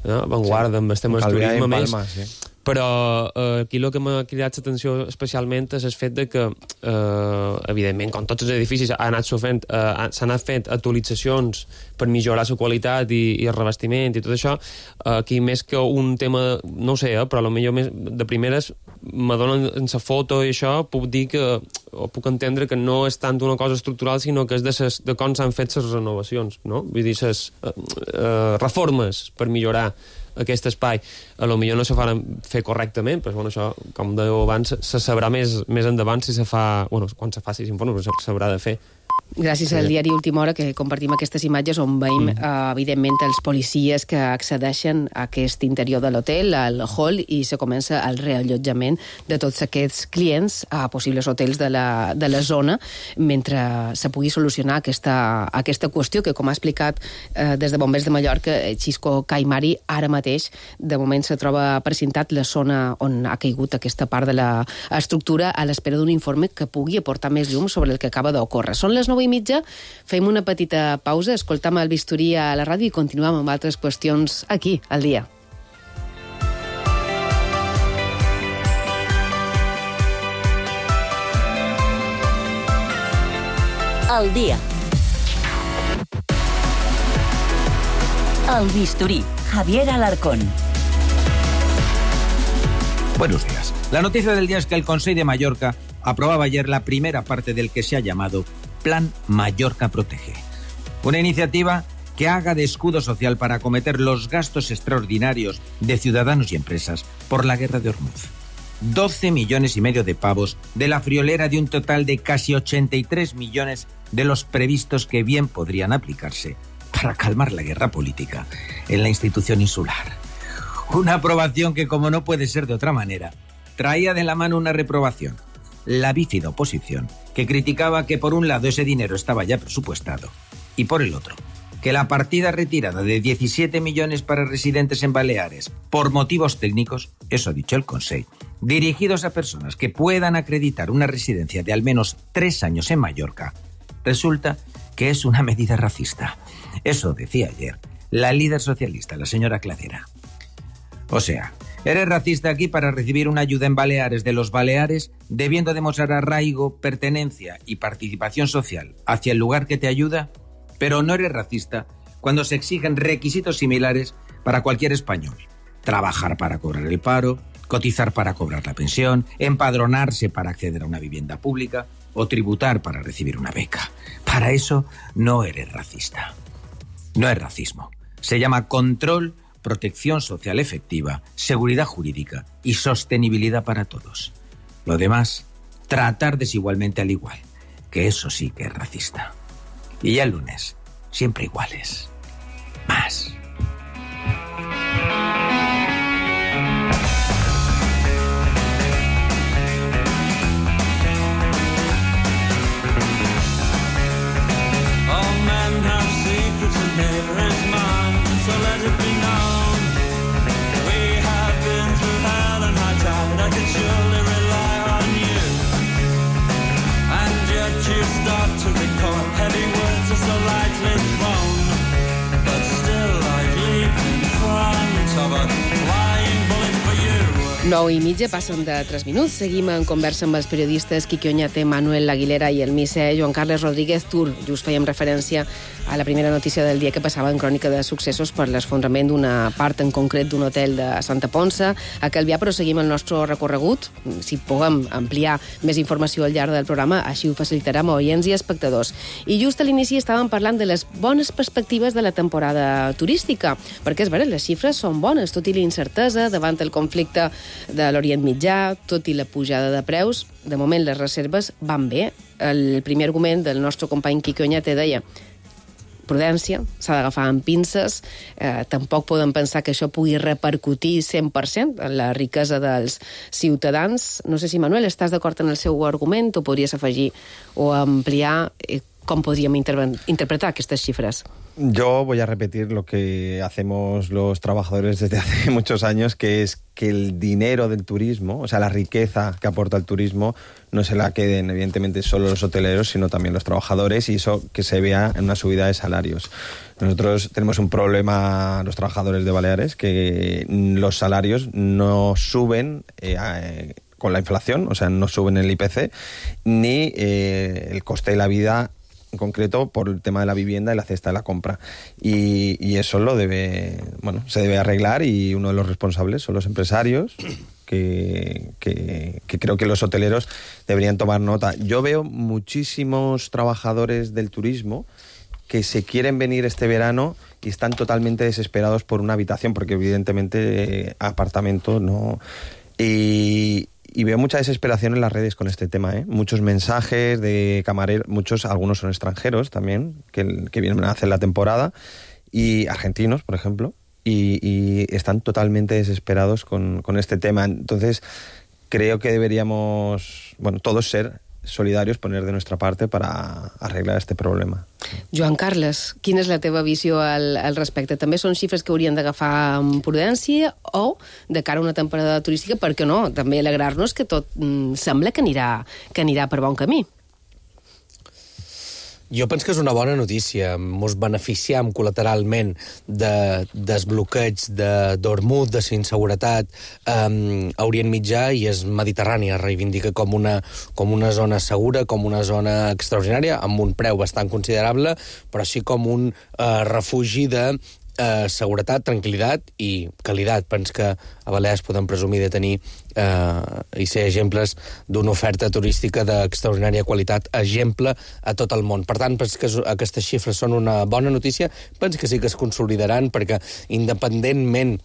no, avantguarda, sí. amb el tema del turisme, Palma, més, sí. Però eh, aquí el que m'ha cridat l'atenció especialment és el fet de que, eh, evidentment, com tots els edificis, s'han anat fent, eh, s'han anat fent actualitzacions per millorar la qualitat i, i el revestiment i tot això. Eh, aquí, més que un tema, no ho sé, eh, però potser més de primeres m'adonen en la foto i això, puc dir que, o puc entendre que no és tant una cosa estructural, sinó que és de, ses, de com s'han fet les renovacions, no? Vull dir, les eh, eh, reformes per millorar aquest espai. A lo millor no se faran fer correctament, però bueno, això, com dèieu abans, se sabrà més, més endavant si se fa... Bueno, quan se faci l'informe, però s'haurà de fer. Gràcies al diari Última Hora que compartim aquestes imatges on veiem, mm. eh, evidentment, els policies que accedeixen a aquest interior de l'hotel, al hall, i se comença el reallotjament de tots aquests clients a possibles hotels de la, de la zona, mentre se pugui solucionar aquesta, aquesta qüestió que, com ha explicat eh, des de Bombers de Mallorca, Xisco Caimari, ara mateix, de moment se troba precintat la zona on ha caigut aquesta part de l'estructura a l'espera d'un informe que pugui aportar més llum sobre el que acaba d'ocórrer. Són les nou i mitja, fem una petita pausa, escoltam el bisturí a la ràdio i continuem amb altres qüestions aquí, al dia. Al dia. El bisturí, Javier Alarcón. Buenos días. La noticia del día es que el Consejo de Mallorca aprobaba ayer la primera parte del que se ha llamado Plan Mallorca Protege. Una iniciativa que haga de escudo social para acometer los gastos extraordinarios de ciudadanos y empresas por la guerra de Hormuz. doce millones y medio de pavos de la friolera de un total de casi ochenta y tres millones de los previstos que bien podrían aplicarse para calmar la guerra política en la institución insular. Una aprobación que, como no puede ser de otra manera, traía de la mano una reprobación. La bífida oposición, que criticaba que por un lado ese dinero estaba ya presupuestado y por el otro, que la partida retirada de diecisiete millones para residentes en Baleares por motivos técnicos, eso ha dicho el Consejo, dirigidos a personas que puedan acreditar una residencia de al menos tres años en Mallorca, resulta que es una medida racista. Eso decía ayer la líder socialista, la señora Cladera. O sea, eres racista aquí para recibir una ayuda en Baleares de los Baleares, debiendo demostrar arraigo, pertenencia y participación social hacia el lugar que te ayuda, pero no eres racista cuando se exigen requisitos similares para cualquier español. Trabajar para cobrar el paro, cotizar para cobrar la pensión, empadronarse para acceder a una vivienda pública o tributar para recibir una beca. Para eso no eres racista. No es racismo. Se llama control, protección social efectiva, seguridad jurídica y sostenibilidad para todos. Lo demás, tratar desigualmente al igual, que eso sí que es racista. Y ya el lunes, siempre iguales. Más. Nou i mitja, passen de tres minuts. Seguim en conversa amb els periodistes Quique Oñate, Manuel Aguilera i el misser Joan Carles Rodríguez Tur. Just fèiem referència a la primera notícia del dia que passava en Crònica de Successos per l'esfondrament d'una part en concret d'un hotel de Santa Ponça a Calvià, però seguim el nostre recorregut. Si puguem ampliar més informació al llarg del programa, així ho facilitarà amb oients i espectadors. I just a l'inici estàvem parlant de les bones perspectives de la temporada turística, perquè és vera, les xifres són bones, tot i la incertesa davant el conflicte de l'Orient Mitjà, tot i la pujada de preus. De moment les reserves van bé. El primer argument del nostre company Quique Oñate deia prudència, s'ha d'agafar amb pinces, eh, tampoc podem pensar que això pugui repercutir cent per cent en la riquesa dels ciutadans. No sé si, Manuel, estàs d'acord en el seu argument o podries afegir o ampliar eh, com podríem interve- interpretar aquestes xifres? Yo voy a repetir lo que hacemos los trabajadores desde hace muchos años, que es que el dinero del turismo, o sea, la riqueza que aporta el turismo, no se la queden, evidentemente, solo los hoteleros, sino también los trabajadores, y eso que se vea en una subida de salarios. Nosotros tenemos un problema, los trabajadores de Baleares, que los salarios no suben eh, eh, con la inflación, o sea, no suben el I P C, ni eh, el coste de la vida en concreto por el tema de la vivienda y la cesta de la compra. Y, y eso lo debe, bueno, se debe arreglar, y uno de los responsables son los empresarios, que, que, que creo que los hoteleros deberían tomar nota. Yo veo muchísimos trabajadores del turismo que se quieren venir este verano y están totalmente desesperados por una habitación, porque evidentemente eh, apartamento no... Y, y veo mucha desesperación en las redes con este tema, ¿eh? Muchos mensajes de camareros, muchos, algunos son extranjeros también, que, que vienen a hacer la temporada, y argentinos, por ejemplo, y, y están totalmente desesperados con, con este tema. Entonces, creo que deberíamos, bueno, todos ser solidarios, poner de nuestra parte para arreglar este problema. Joan Carles, quina és la teva visió al, al respecte? També són xifres que haurien d'agafar amb prudència, o de cara a una temporada turística, per què no? També alegrar-nos que tot mm, sembla que anirà, que anirà per bon camí. Jo penso que és una bona notícia. Ens beneficiem col·lateralment de desbloqueig d'Hormuz, de, de inseguretat um, a Orient Mitjà, i és Mediterrània. Reivindica com una, com una zona segura, com una zona extraordinària, amb un preu bastant considerable, però així com un uh, refugi de eh, seguretat, tranquil·litat i qualitat. Penso que a Balears podem presumir de tenir eh, i ser exemples d'una oferta turística d'extraordinària qualitat, exemple a tot el món. Per tant, penso que aquestes xifres són una bona notícia. Penso que sí que es consolidaran, perquè independentment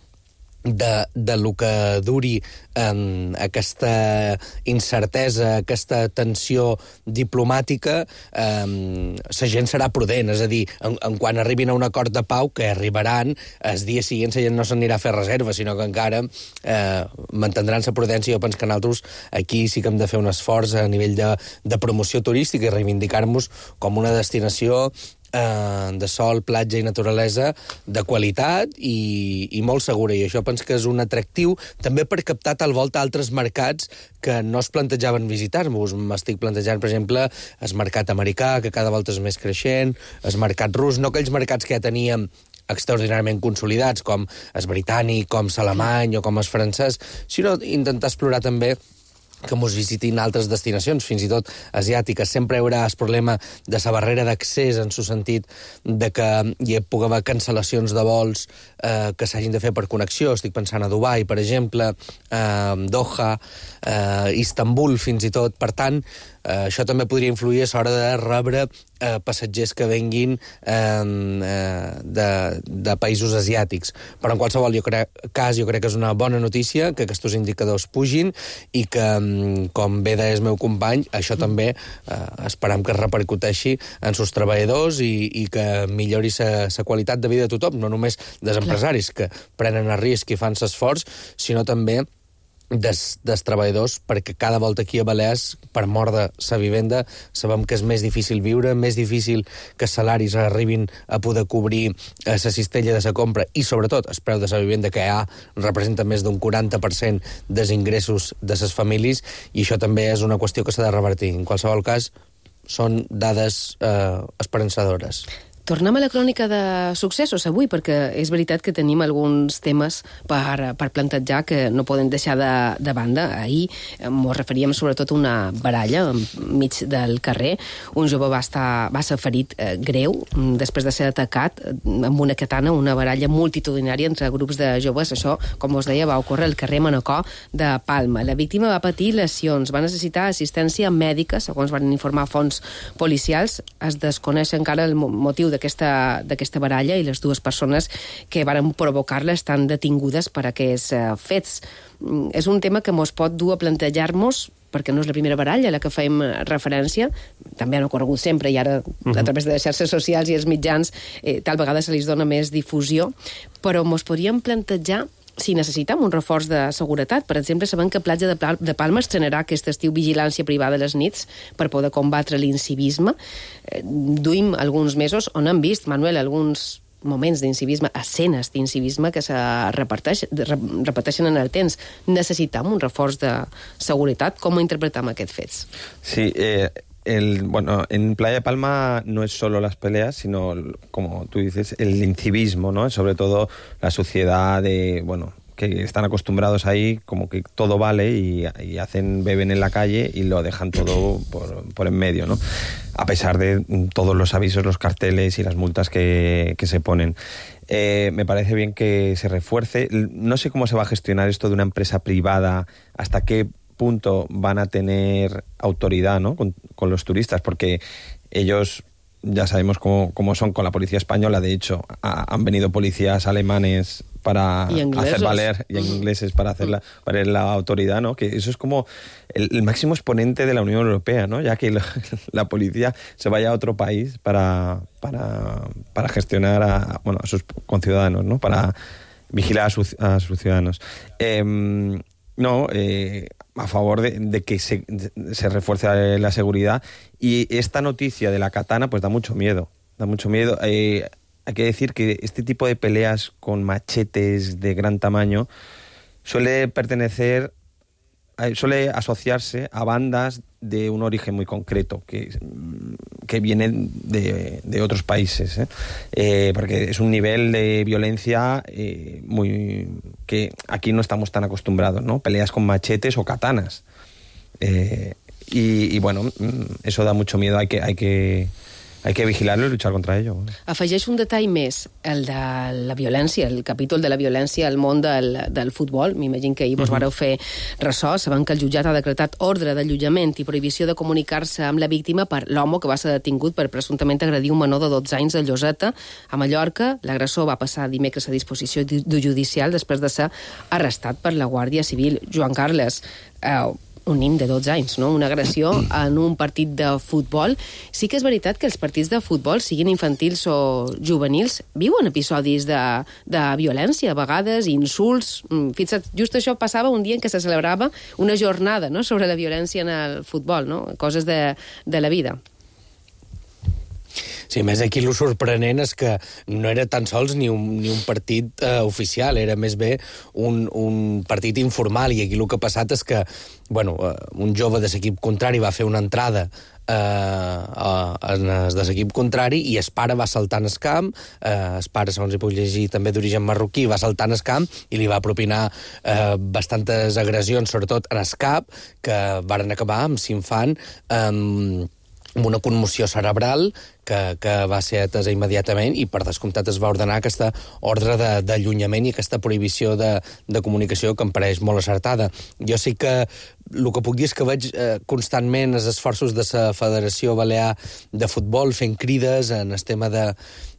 de, de lo que duri eh, aquesta incertesa, aquesta tensió diplomàtica, eh, la gent serà prudent, és a dir, en, en quan arribin a un acord de pau, que arribaran, el dia següent la gent no s'anirà a fer reserva, sinó que encara eh, mantindran la prudència. Jo penso que nosaltres aquí sí que hem de fer un esforç a nivell de, de promoció turística i reivindicar-nos com una destinació de sol, platja i naturalesa de qualitat i, i molt segura, i això penso que és un atractiu també per captar tal volta altres mercats que no es plantejaven visitar-nos. M'estic plantejant, per exemple, el mercat americà, que cada volta és més creixent, el mercat rus, no aquells mercats que ja teníem extraordinàriament consolidats, com el britànic, com l'alemany o com el francès, sinó intentar explorar també que mos visitin altres destinacions, fins i tot asiàtiques. Sempre hi haurà el problema de la barrera d'accés, en el sentit de que hi pugui haver cancel·lacions de vols eh, que s'hagin de fer per connexió. Estic pensant a Dubai, per exemple, eh, Doha, eh, Istanbul, fins i tot. Per tant, eh, això també podria influir a l'hora de rebre eh, passatgers que venguin eh, de, de països asiàtics. Però en qualsevol jo crec, cas, jo crec que és una bona notícia que aquests indicadors pugin i que, com bé deia el meu company, això també eh, esperam que es repercuteixi en els treballadors i, i que millori la qualitat de vida de tothom, no només dels empresaris que prenen el risc i fan l'esforç, sinó també dels, dels treballadors, perquè cada volta aquí a Balears, per mort de la vivenda, sabem que és més difícil viure, més difícil que els salaris arribin a poder cobrir la cistella de la compra i, sobretot, el preu de la vivenda, que ja representa més d'un quaranta per cent dels ingressos de les famílies, i això també és una qüestió que s'ha de revertir. En qualsevol cas, són dades eh, esperançadores. Tornem a la crònica de successos avui, perquè és veritat que tenim alguns temes per, per plantejar que no poden deixar de, de banda. Ahir ens referíem sobretot a una baralla enmig del carrer. Un jove va, estar, va ser ferit eh, greu després de ser atacat amb una katana, una baralla multitudinària entre grups de joves. Això, com us deia, va ocórrer al carrer Manacor de Palma. La víctima va patir lesions, va necessitar assistència mèdica, segons van informar fonts policials. Es desconeix encara el motiu de d'aquesta d'aquesta baralla, i les dues persones que varen provocar-la estan detingudes per aquests uh, fets. Mm, és un tema que mos pot dur a plantejar-nos, perquè no és la primera baralla a la que fem referència, també han ocorregut sempre, i ara uh-huh. a través de les xarxes socials i els mitjans eh, tal vegada se li dona més difusió, però mos podríem plantejar si necessitem un reforç de seguretat. Per exemple, sabem que Platja de, Pal de Palma estrenarà aquest estiu vigilància privada a les nits per poder combatre l'incivisme. Eh, duim alguns mesos on hem vist, Manuel, alguns moments d'incivisme, escenes d'incivisme que se repeteix, repeteixen en el temps. Necessitem un reforç de seguretat. Com interpretam aquests fets? Sí, eh... El, bueno, en Playa de Palma no es solo las peleas, sino, como tú dices, el incivismo, ¿no? Sobre todo la suciedad de, bueno, que están acostumbrados ahí, como que todo vale y, y hacen, beben en la calle y lo dejan todo por, por en medio, ¿no? A pesar de todos los avisos, los carteles y las multas que, que se ponen. Eh, me parece bien que se refuerce. No sé cómo se va a gestionar esto de una empresa privada, hasta qué punto van a tener autoridad, ¿no? con, con los turistas, porque ellos ya sabemos cómo, cómo son con la policía española. De hecho, ha, han venido policías alemanes para hacer valer, y ingleses para hacer la, para la autoridad, ¿no? Que eso es como el, el máximo exponente de la Unión Europea, ¿no? Ya que la, la policía se vaya a otro país para, para, para gestionar a, bueno, a sus conciudadanos, ¿no? Para vigilar a, sus, a sus ciudadanos. Eh, no, eh, a favor de, de que se, se refuerce la seguridad. Y esta noticia de la katana pues da mucho miedo, da mucho miedo. Eh, hay que decir que este tipo de peleas con machetes de gran tamaño suele pertenecer, suele asociarse a bandas de un origen muy concreto, que, que vienen de, de otros países, ¿eh? Eh, porque es un nivel de violencia eh, muy que aquí no estamos tan acostumbrados, ¿no? Peleas con machetes o katanas. Eh, y, y bueno, eso da mucho miedo, hay que, hay que hay que vigilarlo i luchar contra ello. Afegeix un detall més, el de la violència, el capítol de la violència al món del, del futbol. M'imagino que ahir vos vareu fer ressò. Sabem que el jutjat ha decretat ordre d'allotjament i prohibició de comunicar-se amb la víctima per l'home que va ser detingut per presumptament agredir un menor de dotze anys a Lloseta, a Mallorca. L'agressor va passar dimecres a disposició judicial després de ser arrestat per la Guàrdia Civil. Joan Carles, eh, un nen de dotze anys, no? Una agressió en un partit de futbol. Sí que és veritat que els partits de futbol, siguin infantils o juvenils, viuen episodis de, de violència, a vegades insults. Fixa't, just això passava un dia en què se celebrava una jornada, no?, sobre la violència en el futbol, no? Coses de, de la vida. Sí, més aquí el sorprenent és que no era tan sols ni un, ni un partit eh, oficial, era més bé un, un partit informal, i aquí el que ha passat és que, bueno, eh, un jove de l'equip contrari va fer una entrada eh, en el de l'equip contrari i el pare va saltar en el camp, eh, el pare, segons hi puc llegir, també d'origen marroquí, va saltar en el camp i li va propinar eh, bastantes agressions, sobretot en el cap, que varen acabar amb l'infant eh, amb una commoció cerebral que, que va ser atesa immediatament i, per descomptat, es va ordenar aquesta ordre d'allunyament i aquesta prohibició de, de comunicació que em pareix molt acertada. Jo sí que el que puc dir és que veig eh, constantment els esforços de la Federació Balear de Futbol fent crides en el tema de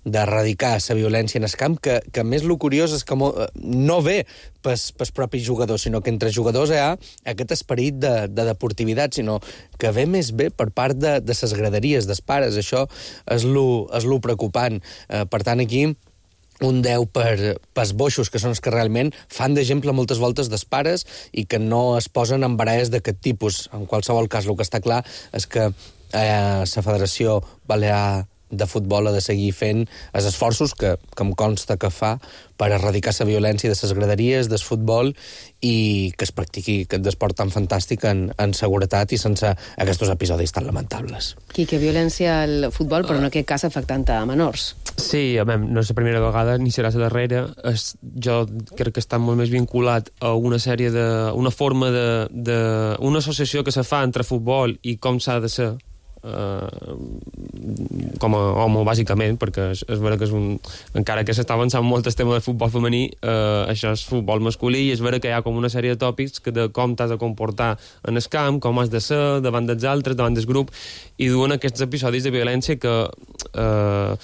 d'erradicar la violència en el camp, que, que més el curiós és que no ve pels, pels propis jugadors, sinó que entre jugadors hi ha aquest esperit de, de deportivitat, sinó que ve més bé per part de, de les graderies dels pares. Això és lo, és lo preocupant. Eh, per tant, aquí un deu per, pels boixos, que són els que realment fan d'exemple moltes voltes dels pares i que no es posen en baralles d'aquest tipus. En qualsevol cas, el que està clar és que eh, la Federació Balear de Futbol ha de seguir fent els esforços que, que em consta que fa per erradicar la violència de les graderies, del futbol, i que es practiqui aquest esport tan fantàstic en, en seguretat i sense aquests episodis tan lamentables. Quique, violència al futbol, però en aquest cas afectant a menors. Sí, a veure, no és la primera vegada ni serà la darrera. Es, jo crec que està molt més vinculat a una sèrie de... una forma de... de una associació que se fa entre futbol i com s'ha de ser Uh, com a home, bàsicament, perquè és, és vera que és un... encara que s'està avançant molt el tema del futbol femení, uh, això és futbol masculí, i és vera que hi ha com una sèrie de tòpics que de com t'has de comportar en el camp, com has de ser davant dels altres, davant del grup, i duen aquests episodis de violència que uh,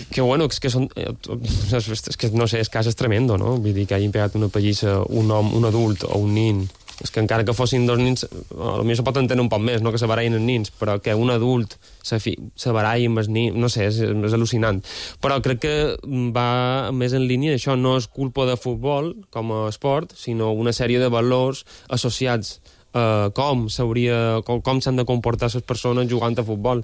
que bueno, és que són és que no sé, és cas és tremendo, no? Vull dir que hagin pegat una pallissa un home, un adult o un nin és que encara que fossin dos nins, potser se pot entendre un poc més, no que se barallin els nins, però que un adult se, fi, se baralli amb els nins, no sé, és, és al·lucinant. Però crec que va més en línia, això no és culpa de futbol com a esport, sinó una sèrie de valors associats a com s'hauria, com, com s'han de comportar les persones jugant a futbol.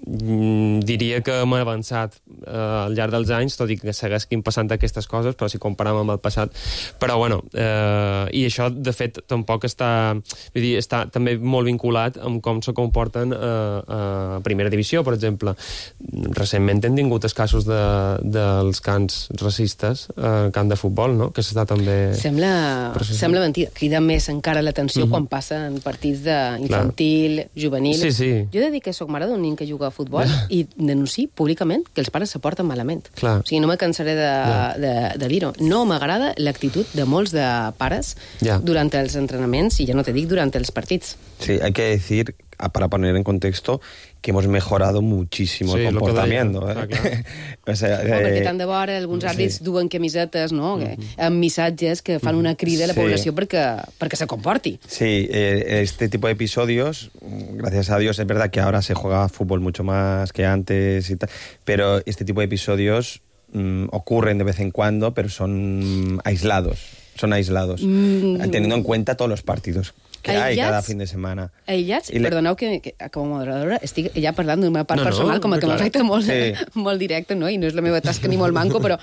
Diria que hem avançat eh, al llarg dels anys, tot i que segueixin passant aquestes coses, però si comparem amb el passat. Però, bueno, eh, i això, de fet, tampoc està, vull dir, està també molt vinculat amb com se comporten eh, a primera divisió, per exemple. Recentment hem tingut els casos de, dels cants racistes al eh, camp de futbol, no?, que s'està també... Sembla, sembla mentida. Crida més encara l'atenció mm-hmm. quan passen partits d'infantil, juvenil. Sí, sí. Jo he de dir que soc mare d'un nin que juga a futbol i denunci públicament que els pares se porten malament. Clar. O sigui, no me cansaré de, de, de dir-ho. No m'agrada l'actitud de molts de pares ja. durant els entrenaments i ja no te dic durant els partits. Sí, hay que decir, para poner en contexto, que hemos mejorado muchísimo sí, el comportamiento. ¿eh? Ah, claro. O sea, no, eh, perquè tant de vora alguns àrbits sí. duen camisetes, no?, mm-hmm. amb missatges que fan una crida a la població sí. perquè, perquè se comporti. Sí, eh, este tipo de episodios, gracias a Dios, es verdad que ahora se juega fútbol mucho más que antes y tal, pero este tipo de episodios mm, ocurren de vez en cuando, pero son aislados, son aislados, mm. teniendo en cuenta todos los partidos que aïllats, hay cada fin de setmana. Aïllats, le... perdoneu que, que com a moderadora estic ja parlant d'una part no, personal, no, com a que m'afecta molt, sí. molt directe, no? I no és la meva tasca ni molt manco, però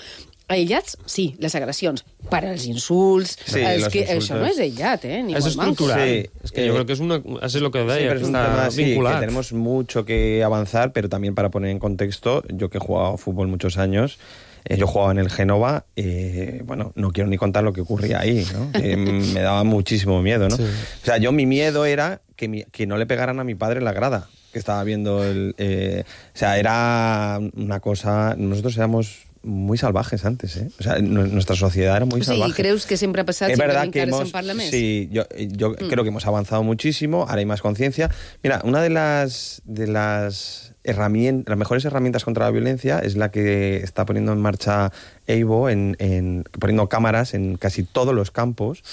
aïllats, sí, les agressions, per als insults, sí, els que, això no és aïllat, eh? Ni és molt manco. Sí, es que eh, yo creo que es una, eso es lo que deia, sí, que está tema, vinculado. Sí, que tenemos mucho que avanzar, pero también para poner en contexto, yo que he jugado fútbol muchos años, Eh, yo jugaba en el Génova, eh, bueno, no quiero ni contar lo que ocurría ahí, ¿no? Eh, me daba muchísimo miedo, ¿no? Sí. O sea, yo mi miedo era que, mi, que no le pegaran a mi padre en la grada, que estaba viendo el... Eh, o sea, era una cosa... Nosotros éramos muy salvajes antes, ¿eh? O sea, nuestra sociedad era muy o sea, salvaje. ¿Y crees que siempre ha pasado? Es verdad que hemos... Parlaments? Sí, yo, yo mm. creo que hemos avanzado muchísimo, ahora hay más conciencia. Mira, una de las... De las herramientas, las mejores herramientas contra la violencia es la que está poniendo en marcha EIBO, en, en, poniendo cámaras en casi todos los campos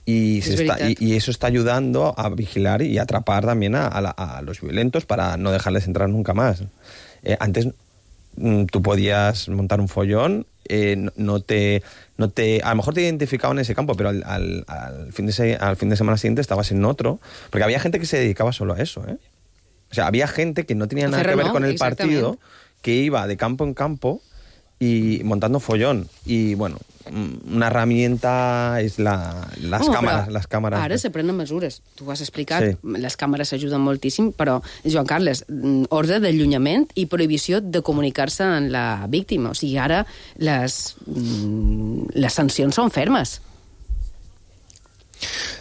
y, se está, y, y eso está ayudando a vigilar y atrapar también a, a, la, a los violentos para no dejarles entrar nunca más. Eh, antes mm, tú podías montar un follón, eh, no, no te... No te, a lo mejor te identificaban en ese campo, pero al, al, al, fin de se, al fin de semana siguiente estabas en otro, porque había gente que se dedicaba solo a eso, ¿eh? O sea, había gente que no tenía nada que ver con el partido, que iba de campo en campo y montando follón. Y, bueno, una herramienta és la, les, oh, càmeres, les càmeres. Ara se prenen mesures. Tu ho has explicat, sí. Les càmeres ajuden moltíssim, però, Joan Carles, ordre d'allunyament i prohibició de comunicar-se amb la víctima. O sigui, ara les, les sancions són fermes.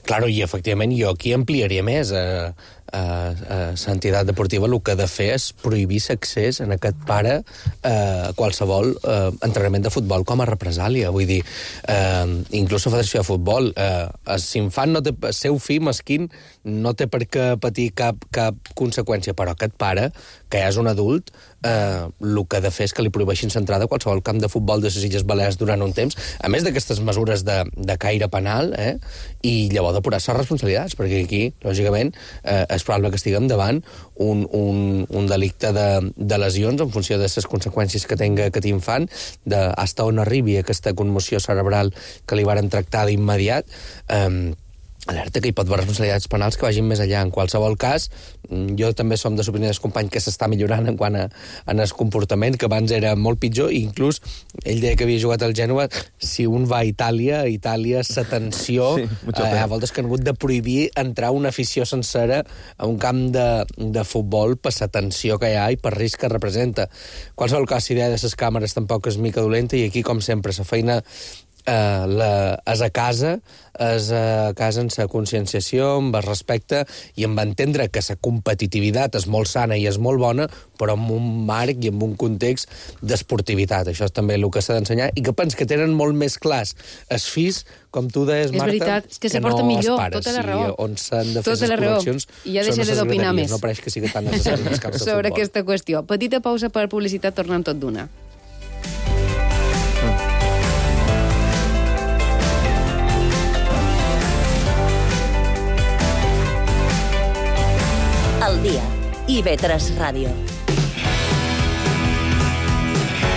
Claro, i efectivament jo aquí ampliaria més a, a, a l'entitat deportiva. El que ha de fer és prohibir l'accés en aquest pare a qualsevol eh, entrenament de futbol com a represàlia. Vull dir, eh, inclús la Federació de Futbol, eh, l'infant no té, el seu fill mesquín no té per què patir cap, cap conseqüència, però aquest pare, que ja és un adult, eh, el que ha de fer és que li prohibeixin l'entrada a qualsevol camp de futbol de les Illes Balears durant un temps, a més d'aquestes mesures de, de caire penal, eh, i llavors depurar les responsabilitats, perquè aquí, lògicament, eh, és probable que estiguem davant un, un, un delicte de, de lesions en funció de les conseqüències que tenga aquest infant, de hasta on arribi aquesta conmoció cerebral que li varen tractar d'immediat. Eh, alerta que hi pot haver responsabilitats penals que vagin més enllà. En qualsevol cas, jo també som de l'opinió dels companys que s'està millorant en quant a, en el comportament, que abans era molt pitjor, i inclús ell deia que havia jugat al Gènova. Si un va a Itàlia, a Itàlia la tensió, sí, eh, a voltes que han hagut de prohibir entrar una afició sencera a un camp de, de futbol per la tensió que hi ha i per risc que representa. Qualsevol cas, l'idea de les càmeres tampoc és mica dolenta, i aquí, com sempre, la feina Uh, la, és a casa, és a casa en la conscienciació, amb el respecte i amb entendre que la competitivitat és molt sana i és molt bona, però en un marc i en un context d'esportivitat. Això és també el que s'ha d'ensenyar, i que pens que tenen molt més clars els fills, com tu deies, Marta, és veritat, és que, que se porta no millor, pares, tota la raó. On s'han de fer les col·leccions i ja deixaré d'opinar més. No pareix que sigui tan necessari els camps de sobre futbol. Aquesta qüestió. Petita pausa per publicitat, tornem tot d'una. dia. I V tres Ràdio.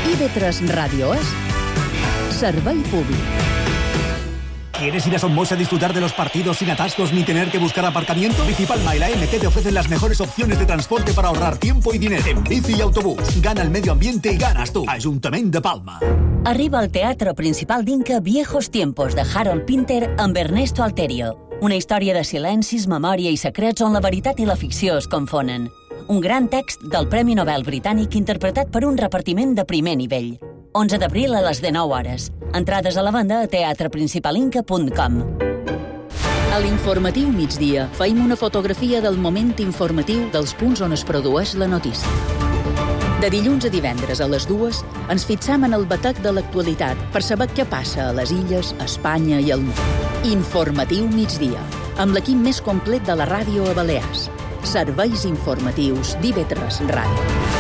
I V tres Ràdio és servei públic. ¿Quieres ir a Somos a disfrutar de los partidos sin atascos ni tener que buscar aparcamiento? Bici Palma y la M T te ofrecen las mejores opciones de transporte para ahorrar tiempo y dinero. En bici y autobús. Gana el medio ambiente y ganas tú. Ayuntamiento de Palma. Arriba al Teatro Principal d'Inca Viejos Tiempos de Harold Pinter amb Ernesto Alterio. Una història de silencis, memòria i secrets on la veritat i la ficció es confonen. Un gran text del Premi Nobel britànic interpretat per un repartiment de primer nivell. onze d'abril a les dinou hores. Entrades a la venda a teatre principal inca punt com. A l'informatiu migdia feim una fotografia del moment informatiu dels punts on es produeix la notícia. De dilluns a divendres a les dues ens fixam en el batec de l'actualitat per saber què passa a les illes, a Espanya i al món. Informatiu migdia, amb l'equip més complet de la ràdio a Balears. Serveis informatius d'I V tres Ràdio.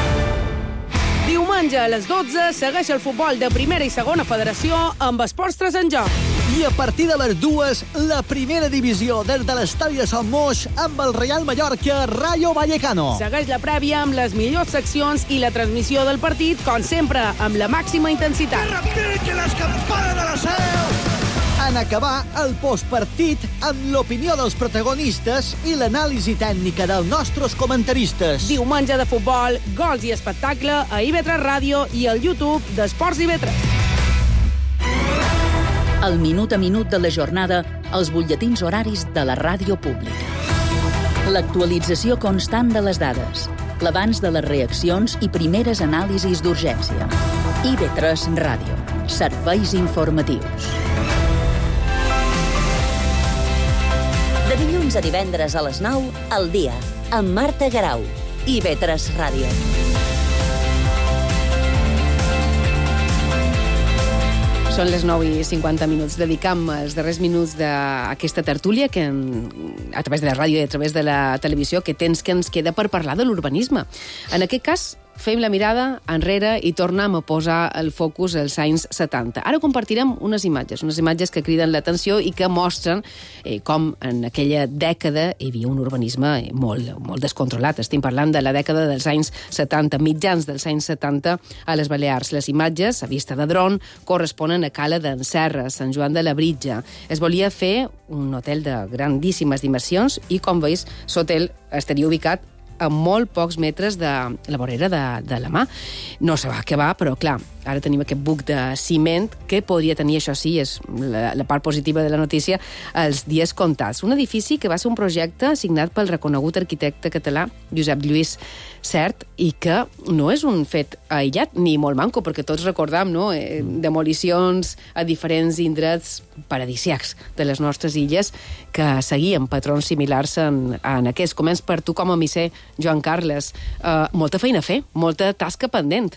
Diumenge a les dotze segueix el futbol de primera i segona federació amb Esports tres en joc. I a partir de les dues, la primera divisió des de l'estadi de Sant Moix amb el Real Mallorca Rayo Vallecano. Segueix la prèvia amb les millors seccions i la transmissió del partit, com sempre, amb la màxima intensitat. Que repiquen les campanes de la seu! En acabar el postpartit amb l'opinió dels protagonistes i l'anàlisi tècnica dels nostres comentaristes. Diumenge de futbol, gols i espectacle a I V tres Ràdio i al YouTube d'Esports I V tres. El minut a minut de la jornada, els butlletins horaris de la ràdio pública. L'actualització constant de les dades, l'abans de les reaccions i primeres anàlisis d'urgència. I V tres Ràdio. Serveis informatius. De dilluns a divendres a les nou, al dia, amb Marta Garau. I V tres Ràdio. Són les nou i cinquanta minuts. Dedicam els darrers minuts d'aquesta tertúlia que en, a través de la ràdio i a través de la televisió que tens que ens queda per parlar de l'urbanisme. En aquest cas, fem la mirada enrere i tornem a posar el focus als anys setanta. Ara compartirem unes imatges, unes imatges que criden l'atenció i que mostren eh, com en aquella dècada hi havia un urbanisme molt, molt descontrolat. Estem parlant de la dècada dels anys setanta, mitjans dels anys setanta a les Balears. Les imatges, a vista de dron, corresponen a Cala d'en Serra, Sant Joan de Labritja. Es volia fer un hotel de grandíssimes dimensions i, com veus, l'hotel estaria ubicat a molt pocs metres de la vorera de, de la mà. No se va acabar, però clar, ara tenim aquest buc de ciment que podria tenir, això sí, és la, la part positiva de la notícia, els dies comptats. Un edifici que va ser un projecte signat pel reconegut arquitecte català Josep Lluís Sert i que no és un fet aïllat ni molt manco, perquè tots recordam, no?, eh, demolicions a diferents indrets paradisíacs de les nostres illes que seguien patrons similars en, en aquests. Començ per tu com a misser, Joan Carles. Uh, molta feina a fer, molta tasca pendent.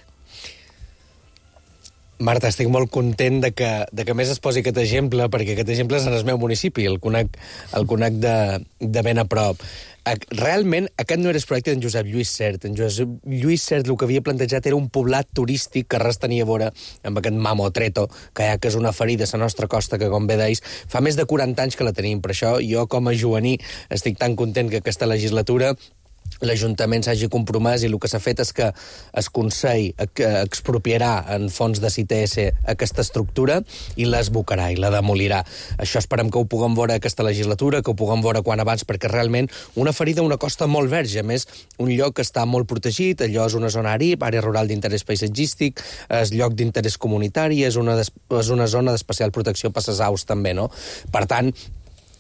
Marta, estic molt content de que, de que més es posi aquest exemple, perquè aquest exemple és en el meu municipi, el conec, el conec de, de ben a prop. Realment, aquest no era el projecte d'en Josep Lluís Sert. En Josep Lluís Sert el que havia plantejat era un poblat turístic que res tenia a veure amb aquest Mamotreto, que ja que és una ferida a la nostra costa, que com bé deis, fa més de quaranta anys que la tenim. Per això, jo com a joaní estic tan content que aquesta legislatura l'Ajuntament s'hagi compromès i el que s'ha fet és que el Consell expropiarà en fons de C T S aquesta estructura i l'esbocarà i la demolirà. Això esperem que ho puguem veure aquesta legislatura, que ho puguem veure quan abans, perquè realment una ferida, una costa molt verge. A més, un lloc que està molt protegit, allò és una zona ARIP, àrea rural d'interès paisatgístic, és lloc d'interès comunitari, és una, és una zona d'especial protecció per les aus també, no? Per tant,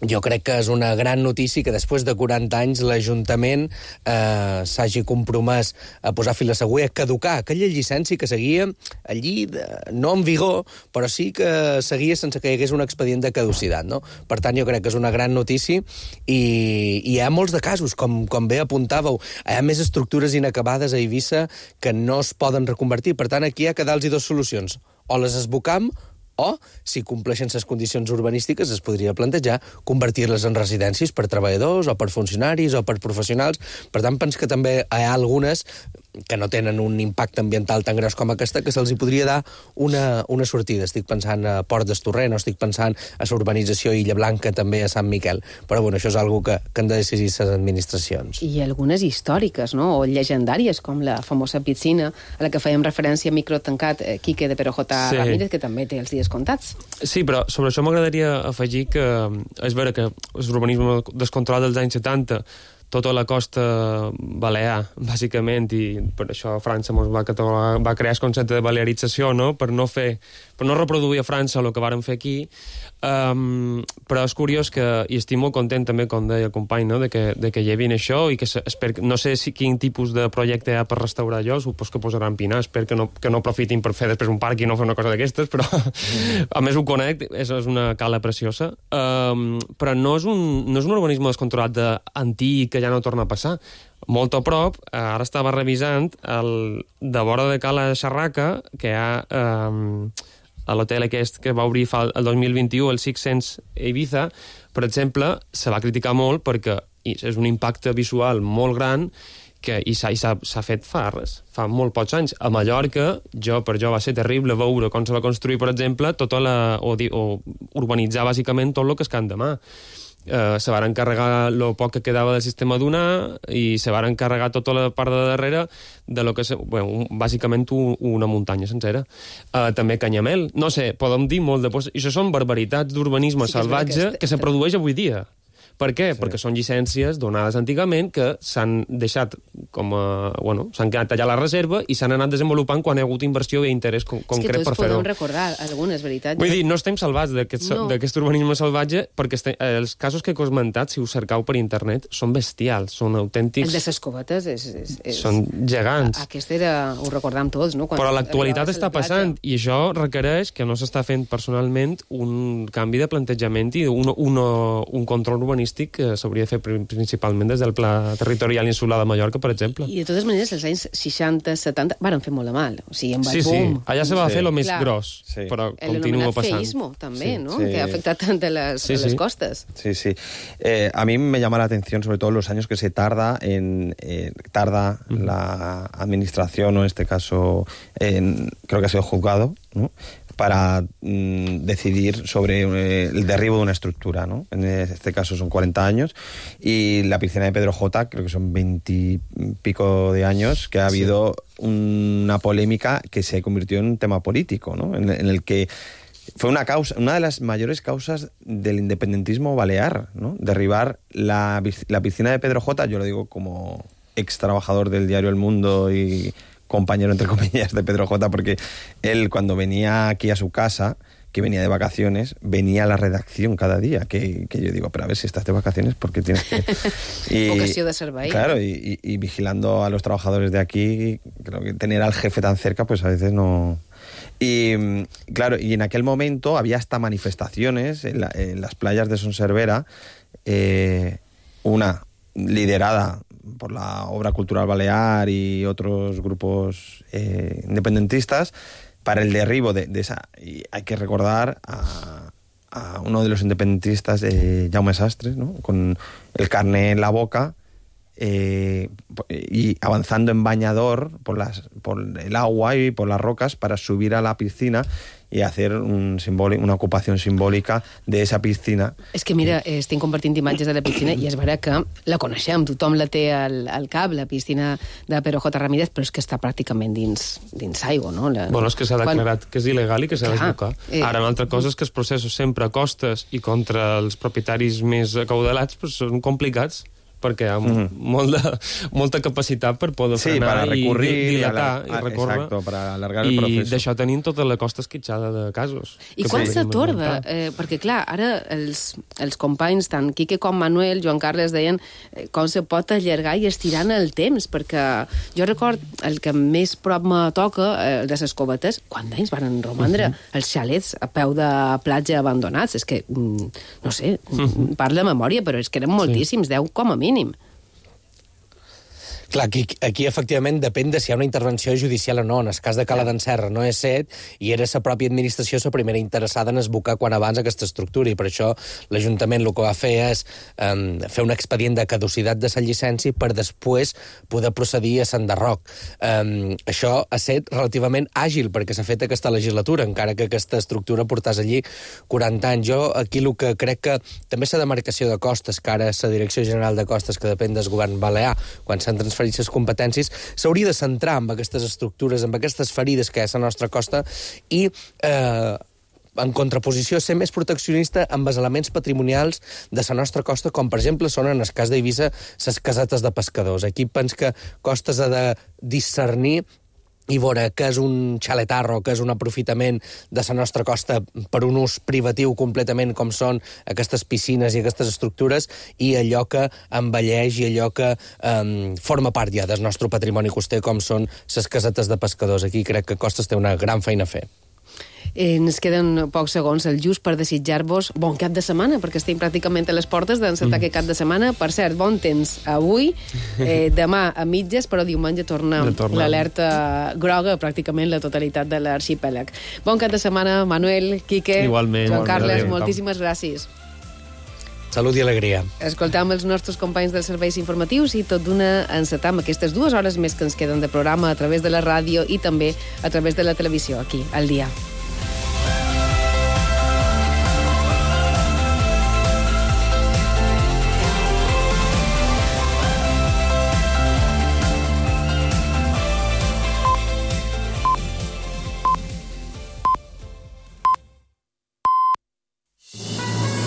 jo crec que és una gran notícia que després de quaranta anys l'Ajuntament eh, s'hagi compromès a posar fil a l'agulla, a caducar aquella llicència que seguia allí, de, no en vigor, però sí que seguia sense que hi hagués un expedient de caducitat, no? Per tant, jo crec que és una gran notícia i, i hi ha molts de casos, com, com bé apuntàveu. Hi ha més estructures inacabades a Eivissa que no es poden reconvertir. Per tant, aquí hi ha que dar-los dues solucions. O les esbocam o, si compleixen les condicions urbanístiques, es podria plantejar convertir-les en residències per treballadors o per funcionaris o per professionals. Per tant, penso que també hi ha algunes que no tenen un impacte ambiental tan gros com aquesta, que se'ls hi podria dar una, una sortida. Estic pensant a Port d'Estorrent, o estic pensant a la urbanització Illa Blanca, també a Sant Miquel. Però bueno, això és algo que, que han de decidir les administracions. I algunes històriques, no?, o llegendàries, com la famosa piscina a la que fèiem referència a microtancat eh, Quique de Perojota sí. Ramírez, que també té els dies comptats. Sí, però sobre això m'agradaria afegir que és vera que l'urbanisme descontrolat dels anys setanta, tota la costa balear, bàsicament, i per això França mos va, va crear el concepte de balearització, no?, per no fer, per no reproduir a França el que varen fer aquí. Um, però és curiós que, i estic molt content també, com deia el company, no?, de que, de que llevin això, i que espero, no sé si, quin tipus de projecte hi ha per restaurar allò, supos que posaran pinar, espero que no, que no aprofitin per fer després un parc i no fer una cosa d'aquestes, però mm. a més ho conec, és, és una cala preciosa, um, però no és, un, no és un urbanisme descontrolat d'antic que ja no torna a passar. Molt a prop, ara estava revisant el, de vora de Cala Xarraca, que hi ha um, a l'hotel aquest que va obrir fa el dos mil vint-i-u, el Six Sense Ibiza, per exemple, se va criticar molt perquè és un impacte visual molt gran que, i s'ha fet fa res, fa molt pocs anys. A Mallorca, jo, per jo va ser terrible veure com se va construir, per exemple, tota la, o, o urbanitzar bàsicament tot el que és Can de Mar. Uh, se van encarregar el poc que quedava del sistema Dunar i se van encarregar tota la part de darrere de lo que és, bueno, bàsicament un, una muntanya sencera. Uh, també Canyamel. No sé, podem dir molt de... I això són barbaritats d'urbanisme sí, salvatge que, que se produeix avui dia. Per què? Sí. Perquè són llicències donades antigament que s'han deixat com a... Bueno, s'han quedat allà a la reserva i s'han anat desenvolupant quan hi ha hagut inversió i interès con concret per fer-ho. És que tots podem recordar algunes, veritat. Vull dir, no estem salvats d'aquest no. urbanisme salvatge perquè este, eh, els casos que he comentat, si us cercau per internet, són bestials, són autèntics... El de les covetes és... és, és... Són gegants. Aquest era... Ho recordam tots, no? Quan Però l'actualitat està passant i això requereix que no s'està fent personalment un canvi de plantejament i un, un, un control urbanístic que s'hauria de fer principalment des del Pla Territorial Insular de Mallorca, per exemple. I de totes maneres, els anys seixanta, setanta van fer molt de mal. O sigui, amb el sí, boom... Sí, allà se va sí. fer el més Clar. gros, sí. però continua passant. El feísmo, també, sí. ¿no? Sí. Que ha afectat tant a les, sí, a les sí. costes. Sí, sí. Eh, a mí me llama la atención, sobre todo, los años que se tarda en eh, tarda uh-huh. la administración, o en este caso, en, creo que ha sido juzgado, ¿no?, para mm, decidir sobre eh, el derribo de una estructura, ¿no? En este caso son cuarenta años, y la piscina de Pedro J, creo que son veintipico de años, que ha habido sí. una polémica que se convirtió en un tema político, ¿no? En, en el que fue una causa, una de las mayores causas del independentismo balear, ¿no? Derribar la, la piscina de Pedro J, yo lo digo como ex trabajador del diario El Mundo y compañero, entre comillas, de Pedro J, porque él, cuando venía aquí a su casa, que venía de vacaciones, venía a la redacción cada día, que, que yo digo, pero a ver, si estás de vacaciones, ¿por qué tienes que...? Y, Vocació de servei. Claro, y, y, y vigilando a los trabajadores de aquí, creo que tener al jefe tan cerca, pues a veces no... Y claro, y en aquel momento había hasta manifestaciones en, la, en las playas de Son Servera, eh, una liderada por la Obra Cultural Balear y otros grupos eh, independentistas, para el derribo de, de esa... Y hay que recordar a, a uno de los independentistas, eh, Jaume Sastres, ¿no?, con el carné en la boca, eh, y avanzando en bañador por, las, por el agua y por las rocas para subir a la piscina i hacer un simbòlic, una ocupació simbòlica d'esa piscina. És que mira, estem compartint imatges de la piscina i és vera que la coneixem, tothom la té al, al cap, la piscina de Pedro J. Ramírez, però és que està pràcticament dins, dins aigua, no? La... Bueno, és que s'ha declarat Quan... que és il·legal i que s'ha de desbocar. Eh... Ara, una altra cosa és que els processos sempre a costes i contra els propietaris més acaudalats pues, són complicats, perquè hi ha mm. molt de, molta capacitat per poder sí, frenar i dilatar i recórrer. Exacto, para alargar el I proceso. I d'això tenim tota la costa esquitxada de casos. I quan sí. s'atorga? Eh, perquè, clar, ara els, els companys, tant Quique com Manuel, Joan Carles, deien eh, com se pot allargar i estirar en el temps, perquè jo record el que més prop me toca, eh, el de les covetes, quants anys van romandre uh -huh. els xalets a peu de platja abandonats? És que, mm, no sé, uh -huh. parla de memòria, però és que eren moltíssims, sí. deu com a mínim. Clar, aquí, aquí efectivament depèn de si hi ha una intervenció judicial o no. En el cas de Cala d'en Serra no és set, i era la pròpia administració la primera interessada en esbocar quan abans aquesta estructura, i per això l'Ajuntament el que va fer és um, fer un expedient de caducitat de la llicència per després poder procedir a s'enderroc. Um, això ha estat relativament àgil perquè s'ha fet aquesta legislatura, encara que aquesta estructura portàs allí quaranta anys. Jo aquí el que crec que també la demarcació de costes, que ara és la Direcció General de Costes, que depèn del govern balear, quan s'han transferit les competències, s'hauria de centrar en aquestes estructures, en aquestes ferides que hi ha a la nostra costa i, eh, en contraposició, ser més proteccionista amb els elements patrimonials de la nostra costa, com per exemple són, en el cas d'Eivissa, les casetes de pescadors. Aquí pens que Costes ha de discernir i veure què és un xaletarro, què és un aprofitament de la nostra costa per un ús privatiu completament, com són aquestes piscines i aquestes estructures, i allò que envelleix i allò que um, forma part ja del nostre patrimoni coster, com són les casetes de pescadors. Aquí crec que Costes té una gran feina a fer. Eh, ens queden pocs segons, el just per desitjar-vos bon cap de setmana, perquè estem pràcticament a les portes d'encetar mm. aquest cap de setmana. Per cert, bon temps avui, eh, demà a mitges, però diumenge torna l'alerta groga pràcticament la totalitat de l'arxipèlag. Bon cap de setmana, Manuel, Quique, igualment, Joan Carles, igualment. moltíssimes gràcies. Salut i alegria. Escoltam els nostres companys dels serveis informatius i tot d'una encetam aquestes dues hores més que ens queden de programa a través de la ràdio i també a través de la televisió, aquí, al dia.